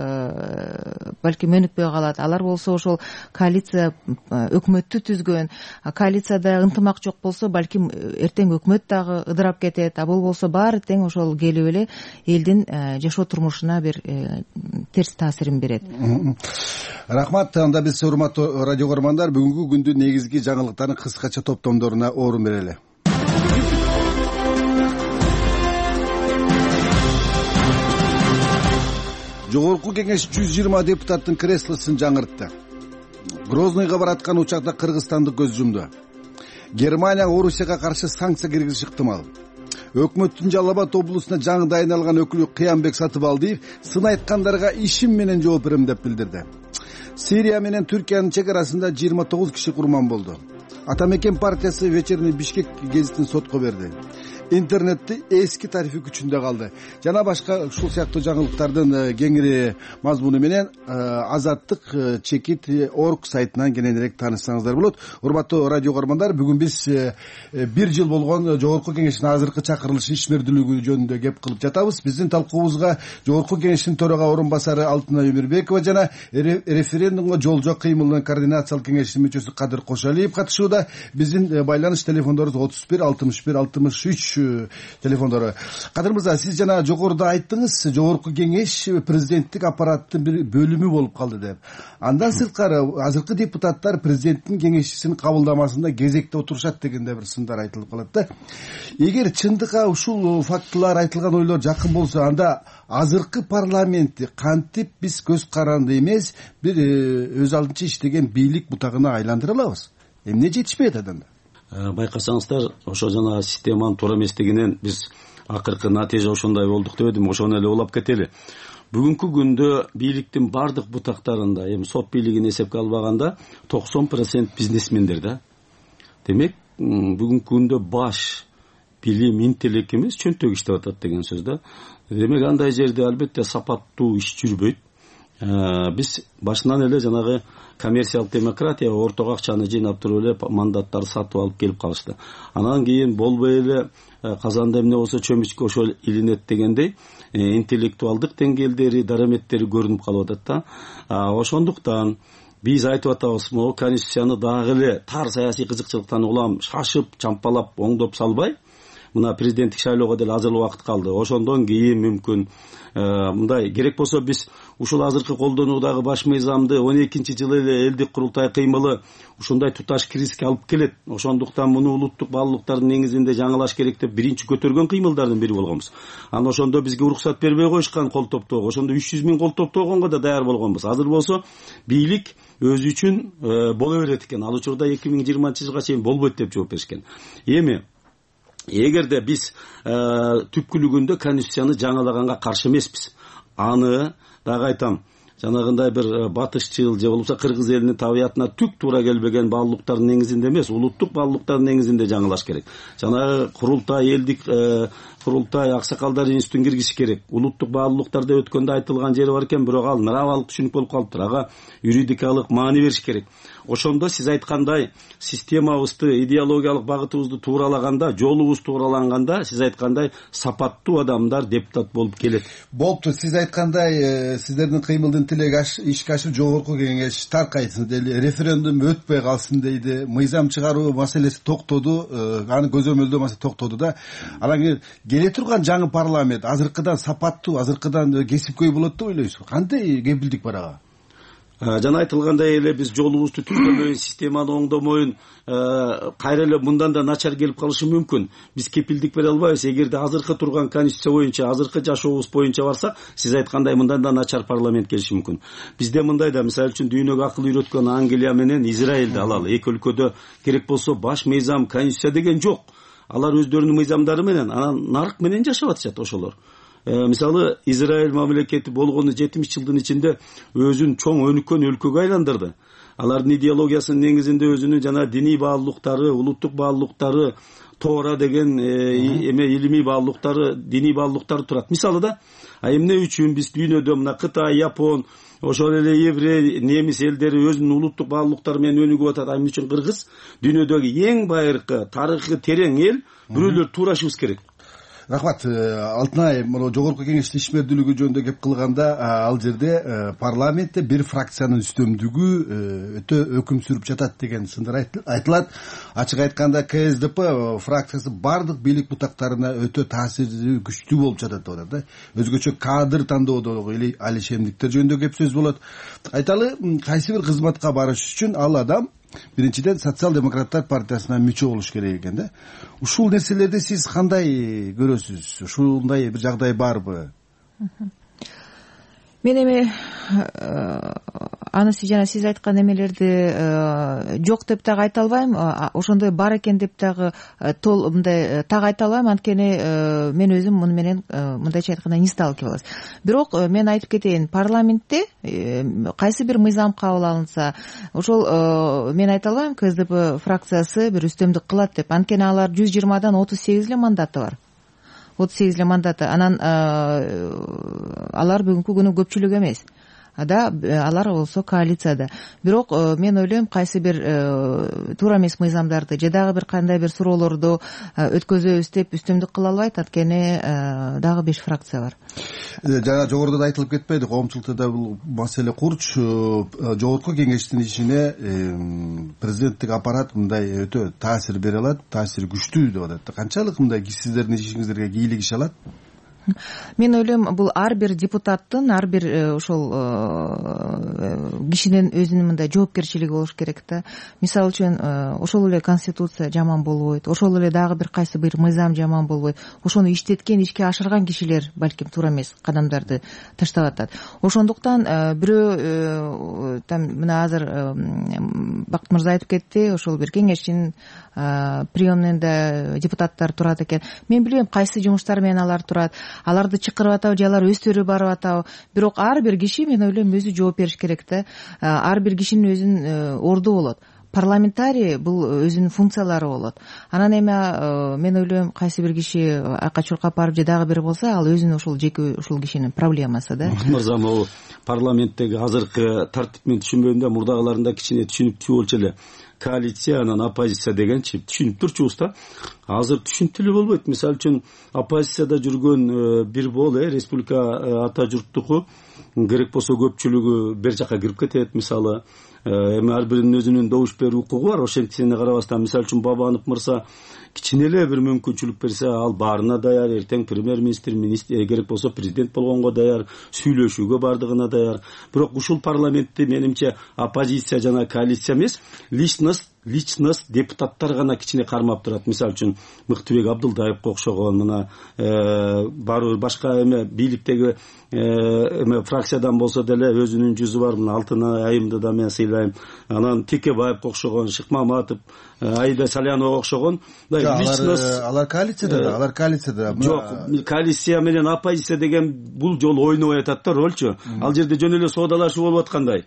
балким өнүкпөй калат. Алар болсо ошол коалиция өкмөттү түзгөн. Коалицияда ынтымак жок болсо, балким эртең өкмөт дагы ыдырап кетет. А бул болсо баары тең ошол келип эле элдин жашоо турмушуна бир терс таасирин берет. Рахмат. Анда биз урматтуу радио көрөрмандар, бүгүнкү күндүн негизги жаңылыктарын кыскача топтомдоруна орун берели. Жогорку кеңеш 120 депутаттын креслосун жаңыртты. Грозныйга бараткан учакта Кыргызстанды көз жумду. Германия Орусияга каршы санкция киргизиши ыктымал. Өкмөттүн Жалал Абад облусуна жаңы дайындалган өкүлү Кыямбек Сатыбалдиев сын айткандарга ишим менен жооп берем деп билдирди. Сирия менен Түркиянын чек арасында 29 киши курман болду. Атамекен партиясы Вечерний Бишкек гезитин сотко берди. Интернетти эски тарифи күчүндө калды. Жана башка ушул сыяктуу жаңылыктардын кеңири мазмуну менен azattik.org сайтынан кененирээк таанышсаңыздар болот. Урматтуу радио көрөрмандар, бүгүн биз 1 жыл болгон Жогорку кеңештин азыркы чакырылышы ишмердүүлүгү жөнүндө кеп кылып жатабыз. Биздин талкуубузга Жогорку кеңештин төрага орун басары Алтынай Өмүрбекова жана референдумга жол жок кыймылынын координациялык кеңешинин мүчөсү Кадыр Кошалиев катышууда. Биздин байланыш телефондорубуз 31 61 63 телефондору. Кадыр мырза, сиз жана жогоруда айттыңыз, Жогорку кеңеш президенттик аппараттын бир бөлүмү болуп калды деп. Андан сырткары азыркы депутаттар президенттин кеңешчисин кабылдамасында кезекте отурушат дегенде бир сындар айтылып калат да. Эгер чындыкка ушул фактылар, айтылган ойлор жакын болсо, анда азыркы парламентти кантип биз көз каранды эмес, бир өз алдынча иштеген бийлик бутагына айландыра алабыз? Эмне жетишпей атат анда? Байкасаңыздар, ошо жана системанын туура эместигинен биз акыркы натыйжа ошондой болдук деп эдим, ошону эле улап кетели. Бүгүнкү күндө бийликтин бардык бутактарында, эми сот бийлигин эсепке албаганда 90% бизнесмендер да. Демек, бүгүнкү күндө баш билим, интеллект эмес, чөнтөк иштеп атат деген сөз да. Демек, андай жерде албетте сапаттуу иш жүрбөйт. Биз башынан эле жанагы коммерциялык демократия, ортого акчаны жыйнап туруп эле мандаттарды сатып алып келип калышты. Анан кийин болбой эле казанда эмне болсо чөмүчкө ошол илинет дегендей интеллектуалдык деңгээлдери, дараметтери көрүнүп калып атат да. Ошондуктан биз айтып атабыз, могу конституцияны дагы эле тар саясий кызыкчылыктан улам шашып, чампалап, оңдоп салбай, мына президенттик шайлоого деле азыр убакыт калды. Ошондон кийин мүмкүн мындай керек болсо биз ушул азыркы колдонуудагы баш мыйзамды 12-жылы эле элдик курултай кыймылы ушундай туташ кризиске алып келет. Ошондуктан муну улуттук баалуулуктардын негизинде жаңылаш керек деп биринчи көтөргөн кыймылдардын бири болгонбуз. Анан ошондо бизге уруксат бербей коюшкан кол топтоого. Ошондо 300 000 кол топтогонго да даяр болгонбуз. Азыр болсо бийлик өзү үчүн боло берет экен. Ал учурда 2020-жылга чейин болбойт деп жооп беришкен. Эми эгерде биз түпкүлүгүндө конституцияны жаңылаганга каршы эмеспиз. Аны дагы айтам, жанагындай бир батышчыл же болбосо кыргыз элинин табиятына түк туура келбеген баалуулуктардын негизинде эмес, улуттук баалуулуктардын негизинде жаңылаш керек. Жанагы курултай, элдик курултай, аксакалдар институтун киргизиш керек. Улуттук баалуулуктар деп өткөндө айтылган жери бар экен, бирок ал нравалык түшүнүк болуп калыптыр. Ага юридикалык маани бериш керек. ошондо сиз айткандай системабызды, идеологиялык багытыбызды тууралаганда, жолубуз туураланганда сиз айткандай сапаттуу адамдар депутат болуп келет. Болупту. Сиз айткандай сиздердин кыймылдын тилеги ишке ашып жогорку кеңеш таркайсын дейли, референдум өтпөй калсын дейди, мыйзам чыгаруу маселеси токтоду, аны көзөмөлдөө маселеси токтоду да. Анан келе турган жаңы парламент азыркыдан сапаттуу, азыркыдан кесипкөй болот деп ойлойсузбу? Кандай кепилдик бар ага? Жана айтылгандай эле биз жолубузду түзбөйүн, системаны оңдомоюн, кайра эле мындан да начар келип калышы мүмкүн. Биз кепилдик бере албайбыз. Эгерде азыркы турган конституция боюнча, азыркы жашообуз боюнча барсак, сиз айткандай мындан да начар парламент келиши мүмкүн. Бизде мындай да, мисалы үчүн дүйнөгө акыл үйрөткөн Англия менен Израилди алалы. Эки өлкөдө керек болсо баш мыйзам, конституция деген жок. Алар өздөрүнүн мыйзамдары менен, анан нарк менен жашап атышат ошолор. Мисалы Израиль мамлекети болгону 70 жылдын ичинде өзүн чоң өнүккөн өлкөгө айландырды. Алардын идеологиясынын негизинде өзүнүн жана диний баалуулуктары, улуттук баалуулуктары, Тора деген илимий баалуулуктары, диний баалуулуктары турат. Мисалы да, эмне үчүн биз дүйнөдө мына Кытай, Япон, ошол эле еврей, немис элдери өзүнүн улуттук баалуулуктары менен өнүгүп атат, эмне үчүн Кыргыз дүйнөдөгү эң байыркы, тарыхы терең эл, бирөөлөр туурашыбыз керек. Рахмат. Алтынай, мына жогорку кеңештин ишмердүүлүгү жөнүндө кеп кылганда, ал жерде парламентте бир фракциянын үстөмдүгү өтө өкүм сүрүп жатат деген сындар айтылат. Ачык айтканда КСДП фракциясы бардык бийлик бутактарына өтө таасири күчтүү болуп жатат деп атат да. Өзгөчө кадр тандоодогу алишемдиктер жөнүндө кеп сөз болот. Айталы, кайсы бир кызматка барыш үчүн ал адам биринчиден социал-демократтар партиясына мүчө болуш керек экен да. Ушул нерселерди сиз кандай көрөсүз? Ушундай бир жагдай барбы? Мен эми аны жана сиз айткан эмелерди жок деп дагы айта албайм, ошондой бар экен деп дагы мындай так айта албайм, анткени мен өзүм муну менен мындайча айтканда не сталкивалась. Бирок мен айтып кетейин, парламентте кайсы бир мыйзам кабыл алынса, ошол мен айта албайм КСДП фракциясы бир үстөмдүк кылат деп, анткени алар 120дан 38 эле мандаты бар. 38 эле мандаты. Анан алар бүгүнкү күнү көпчүлүк эмес. Алар болсо коалицияда. Бирок мен ойлойм, кайсы бир туура эмес мыйзамдарды же дагы бир кандай бир суроолорду өткөзөбүз деп үстөмдүк кыла албайт, анткени дагы 5 фракция бар. Жана жогоруда да айтылып кетпейди, коомчулукта да бул маселе курч. Жогорку кеңештин ишине президенттик аппарат мындай өтө таасир бере алат, таасири күчтүү деп атат. Канчалык мындай сиздердин ишиңиздерге кийлик иш алат? Мен ойлойм, бул ар бир депутаттын, ар бир ошол кишинин өзүнүн мындай жоопкерчилиги болуш керек да. Мисалы үчүн, ошол эле конституция жаман болбойт, ошол эле дагы бир кайсы бир мыйзам жаман болбойт. Ошону иштеткен, ишке ашырган кишилер балким туура эмес кадамдарды таштап атат. Ошондуктан бирөө мына азыр Бакыт мырза айтып кетти, ошол бир кеңештин приемныйда депутаттар турат экен. Мен билбейм кайсы жумуштар менен алар турат, аларды чакырып атабы же алар өздөрү барып атабы. Бирок ар бир киши, мен ойлойм, өзү жооп бериш керек да. Ар бир кишинин өзүнүн орду болот. Парламентарий бул өзүнүн функциялары болот. Анан эми мен ойлойм, кайсы бир киши айка чуркап барып же дагы бир болсо, ал өзүнүн ошол жеке ушул кишинин проблемасы да. Мырза, могу парламенттеги азыркы тартип мен түшүнбөйм да, мурдагыларында кичине түшүнүктүү болчу эле. Коалиция, анан оппозиция дегенчи түшүнүп турчубуз да. Азыр түшүнүктүү эле болбойт. Мисалы үчүн оппозицияда жүргөн бир бол республика ата журттуку керек болсо көпчүлүгү бер жака кирип кетет. Мисалы эми ар биринин өзүнүн добуш берүү укугу бар. Ошентсине карабастан, мисалы үчүн Бабанов мырза кичине эле бир мүмкүнчүлүк берсе, ал баарына даяр, эртең премьер-министр, керек болсо президент болгонго даяр, сүйлөшүүгө бардыгына даяр. Бирок ушул парламентти менимче оппозиция жана коалиция эмес, личность депутаттар гана кичине кармап турат. Мисалы үчүн Мыктыбек Абдылдаевге окшогон, мына бар башка эме бийликтеги фракциядан болсо деле өзүнүн жүзү бар. Мына Алтынай айымды да мен сыйлайм. Анан Текебаевге окшогон, Шыкмаматов, Аида Саляновага окшогон. Алар коалицияда. Жок, коалиция менен оппозиция деген бул жолу ойнобой атат да ролчу. Ал жерде жөн эле соодалашуу болуп аткандай.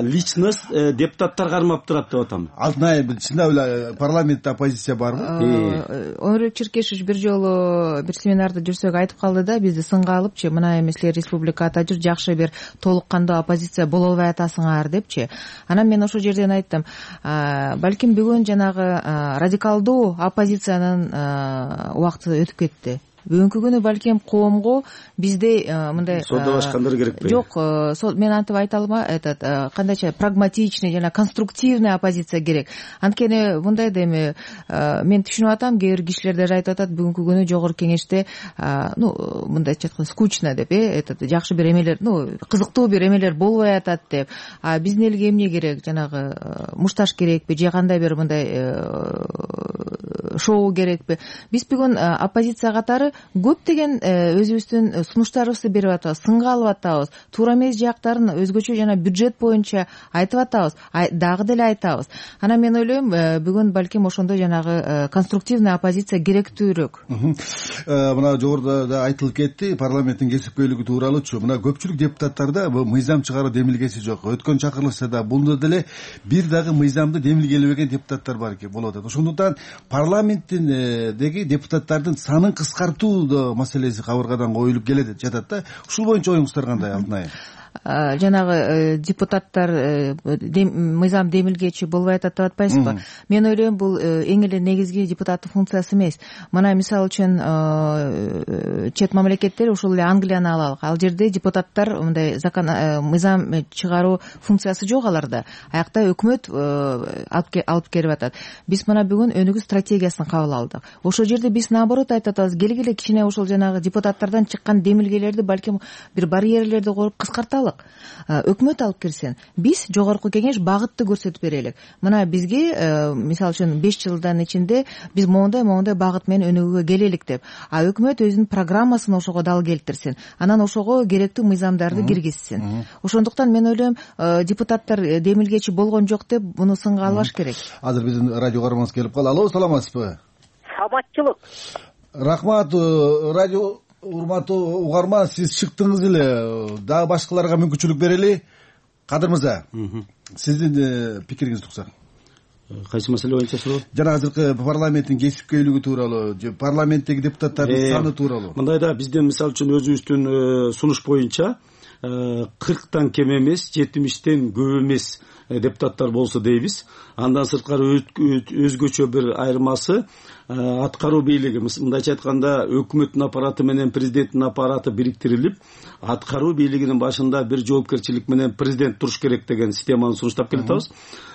Личность депутаттар кармап турат деп атам. Алтынай, чындап эле парламентте оппозиция барбы? Өмүрбек Черкешевич бир жолу бир семинарда жүрсөк айтып калды да, бизди сынга алыпчы, мына эми силер республика атап жүр, жакшы бир толук кандуу оппозиция боло албай атасыңар депчи. Анан мен ошол жерден айттым, балким бүгүн жанагы радикалдуу оппозициянын убакыты өтүп кетти. Бүгүнкү күнү балким коомго бизде мындай содалашкандар керекпи? Жок, мен антип айта алмайм, кандайча прагматичный жана конструктивный оппозиция керек. Анткени мындай да эми мен түшүнүп атам, кээ бир кишилер даже айтып атат, бүгүнкү күнү жогорку кеңеште мындайча айтканда скучно деп, жакшы бир эмелер, кызыктуу бир эмелер болбой атат деп. Биздин элге эмне керек? Жанагы мушташ керекпи же кандай бир мындай шоу керекпи? Биз бүгүн оппозиция катары көптөгөн өзүбүздүн сунуштарыбызды берип атабыз, сынга алып атабыз, туура эмес жактарын өзгөчө жана бюджет боюнча айтып атабыз, дагы деле айтабыз. Анан мен ойлойм, бүгүн балким ошондой жанагы конструктивный оппозиция керектүүрөөк. Мына жогоруда да айтылып кетти, парламенттин кесипкөйлүгү тууралуучу. Мына көпчүлүк депутаттарда мыйзам чыгаруу демилгеси жок. Өткөн чакырылышта бунда деле бир дагы мыйзамды демилгелебеген депутаттар бар экен, болуп атат. Ошондуктан парламенттиндеги депутаттардын санын кыскартуу маселеси кабыргадан коюлуп келет жатат да. Ушул боюнча оюңуздар кандай, Алтынай? Жанагы депутаттар мыйзам демилгечи болбой атат деп атпайсызбы? Мен ойлойм, бул эң эле негизги депутаттын функциясы эмес. Мына мисалы үчүн чет мамлекеттер, ушул эле Англияны алалык. Ал жерде депутаттар мындай мыйзам чыгаруу функциясы жок аларда. Аякта өкмөт алып келип атат. Биз мына бүгүн өнүгүү стратегиясын кабыл алдык. Ошол жерде биз наоборот айтып атабыз, келгиле кичине ошол жанагы депутаттардан чыккан демилгелерди балким бир барьерлерди коюп кыскарталы. Өкмөт алып келсин, биз жогорку кеңеш багытты көрсөтүп берелик. Мына бизге мисалы үчүн 5 жылдан ичинде биз моундай багыт менен өнүгүүгө келелик деп. Өкмөт өзүнүн программасын ошого дал келтирсин. Анан ошого керектүү мыйзамдарды киргизсин. Ошондуктан мен ойлойм, депутаттар демилгечи болгон жок деп буну сынга албаш керек. Азыр биздин радио каарманыбыз келип калды. Алло, саламатсызбы? Саламатчылык. Рахмат. Радио урматтуу угарман, сиз чыктыңыз эле, дагы башкаларга мүмкүнчүлүк берели. Кадыр мырза, сиздин пикириңизди уксак. Кайсы маселе боюнча суроо? Жана азыркы парламенттин кесипкөйлүгү тууралуу же парламенттеги депутаттардын саны тууралуу. Мындай да, биздин мисалы үчүн өзүбүздүн сунуш боюнча 40тан кем эмес, 70тен көп эмес депутаттар болсо дейбиз. Андан сырткары өзгөчө бир айырмасы аткаруу бийлиги, мындайча айтканда өкмөттүн аппараты менен президенттин аппараты бириктирилип, аткаруу бийлигинин башында бир жоопкерчилик менен президент туруш керек деген системаны сунуштап келатабыз.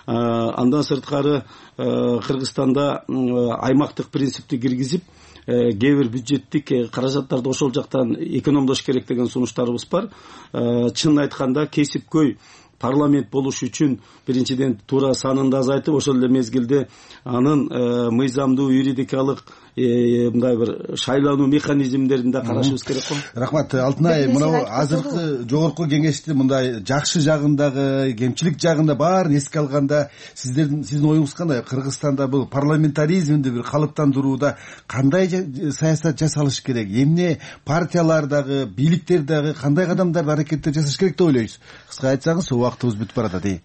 Андан сырткары Кыргызстанда аймактык принципти киргизип, кээ бир бюджеттик каражаттарды ошол жактан экономдош керек деген сунуштарыбыз бар. Чынын айтканда кесипкөй парламент болуш үчүн биринчиден туура санын да азайтып, ошол эле мезгилде анын мыйзамдуу юридикалык мындай бир шайлануу механизмдерин да карашыбыз керек го. Рахмат, Алтынай. Мына азыркы жогорку кеңештин мындай жакшы жагындагы, кемчилик жагында баарын эске алганда сиздин оюңуз кандай? Кыргызстанда бул парламентаризмди бир калыптандырууда кандай саясат жасалыш керек? Эмне партиялар дагы, бийликтер дагы кандай кадамдар, аракеттер жасаш керек деп ойлойсуз? Кыска айтсаңыз, убактыбыз бүтүп баратат.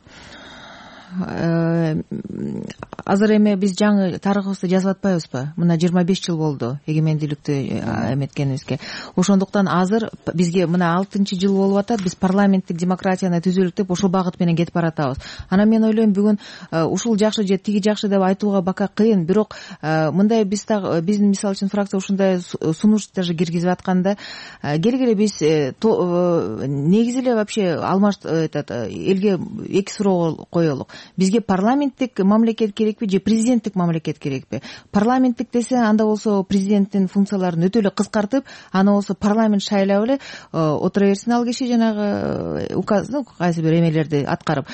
Азыр эми биз жаңы тарыхыбызды жазып атпайбызбы? Мына 25 жыл болду эгемендүүлүктү эметкенибизге. Ошондуктан азыр бизге мына 6-жыл болуп атат, биз парламенттик демократияны түзөлүк деп ошол багыт менен кетип баратабыз. Анан мен ойлойм, бүгүн ушул жакшы же тиги жакшы деп айтууга бака кыйын, бирок мындай биздин мисалы үчүн фракция ушундай сунуш даже киргизип атканда, келгиле биз негизи эле вообще элге эки суроо коелук. Бизге парламенттик мамлекет керекпи же президенттик мамлекет керекпи? Парламенттик десе, анда болсо президенттин функцияларын өтө эле кыскартып, аны болсо парламент шайлап эле отура берсин ал киши жанагы указны кайсы бир эмелерди аткарып.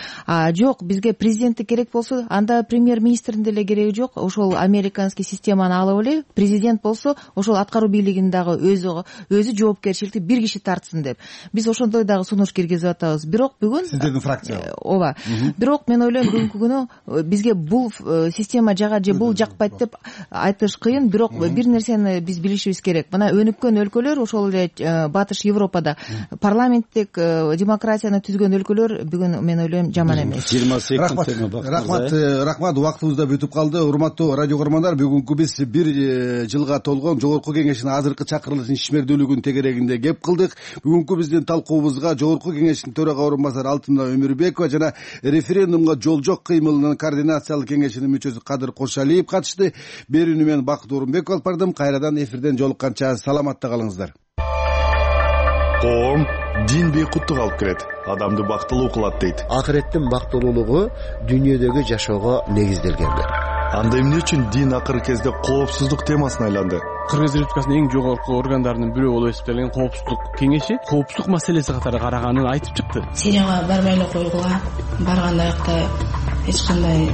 Жок, бизге президенттик керек болсо, анда премьер-министрдин деле кереги жок. Ошол американский системаны алып эле, президент болсо ошол аткаруу бийлигин дагы өзү жоопкерчиликти бир киши тартсын деп. Биз ошондой дагы сунуш киргизип атабыз. Бирок бүгүн сиздердин фракция. Ооба. Бирок мен ойлойм, ойлойм бүгүнкү күнү бизге бул система жагат же бул жакпайт деп айтыш кыйын, бирок бир нерсени биз билишибиз керек. Мына өнүккөн өлкөлөр, ошол эле Батыш Европада парламенттик демократияны түзгөн өлкөлөр бүгүн мен ойлойм жаман эмес. 20 секунд. Рахмат, убактыбыз да бүтүп калды. Урматтуу радио көрөрмандар, бүгүнкү биз бир жылга толгон Жогорку Кеңештин азыркы чакырылышынын ишмердүүлүгүнүн тегерегинде кеп кылдык. Бүгүнкү биздин талкуубузга Жогорку Кеңештин төрага орун басары Алтынай Өмүрбекова жана референдумга жол жок кыймылынын координациялык кеңешинин мүчөсү Кадыр Кошалиев катышты. Берүүнү мен Бакыт Орунбеков алып бардым. Кайрадан эфирден жолукканча саламатта калыңыздар. Коом дин бейкуттук алып келет, адамды бактылуу кылат дейт. Акыреттин бактылуулугу дүйнөдөгү жашоого негизделгендер. Анда эмне үчүн дин акыркы кезде коопсуздук темасына айланды? Кыргыз Республикасынын эң жогорку органдарынын бирөө болуп эсептелген коопсуздук кеңеши коопсуздук маселеси катары караганын айтып чыкты. Сирияга барбай эле койгула, барган аякта эч кандай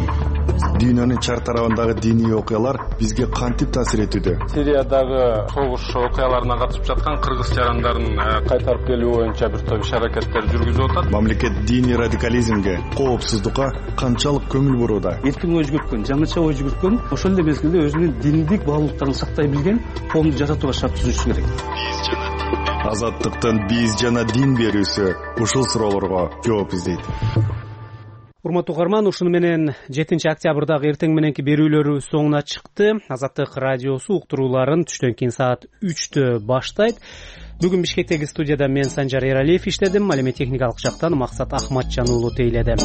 Дүйнөнүн чар тарабындагы диний окуялар бизге кантип таасир этүүдө? Сириядагы согуш окуяларына катышып жаткан кыргыз жарандарын кайтарып келүү боюнча бир топ иш-аракеттер жүргүзүп атат. Мамлекет диний радикализмге, коопсуздукка канчалык көңүл бурууда? Эркин ой жүгүрткөн, жаңыча ой жүгүрткөн, ошол эле мезгилде өзүнүн диндик баалуулуктарын сактай билген коомду жасатууга шарт түзүшү керек. Азаттыктын биз жана дин берүүсү ушул суроолорго жооп издейт. Урматтуу угарман, ушуну менен 7 октябрдагы эртең мененки берүүлөрү соңуна чыкты. Азаттык радиосу уктурууларын түштөн кийин саат 3-тө баштайт. Бүгүн Бишкектеги студияда мен Санжар Эралиев иштедим. Ал эми техникалык жактан Максат Ахматжан уулу тейледи.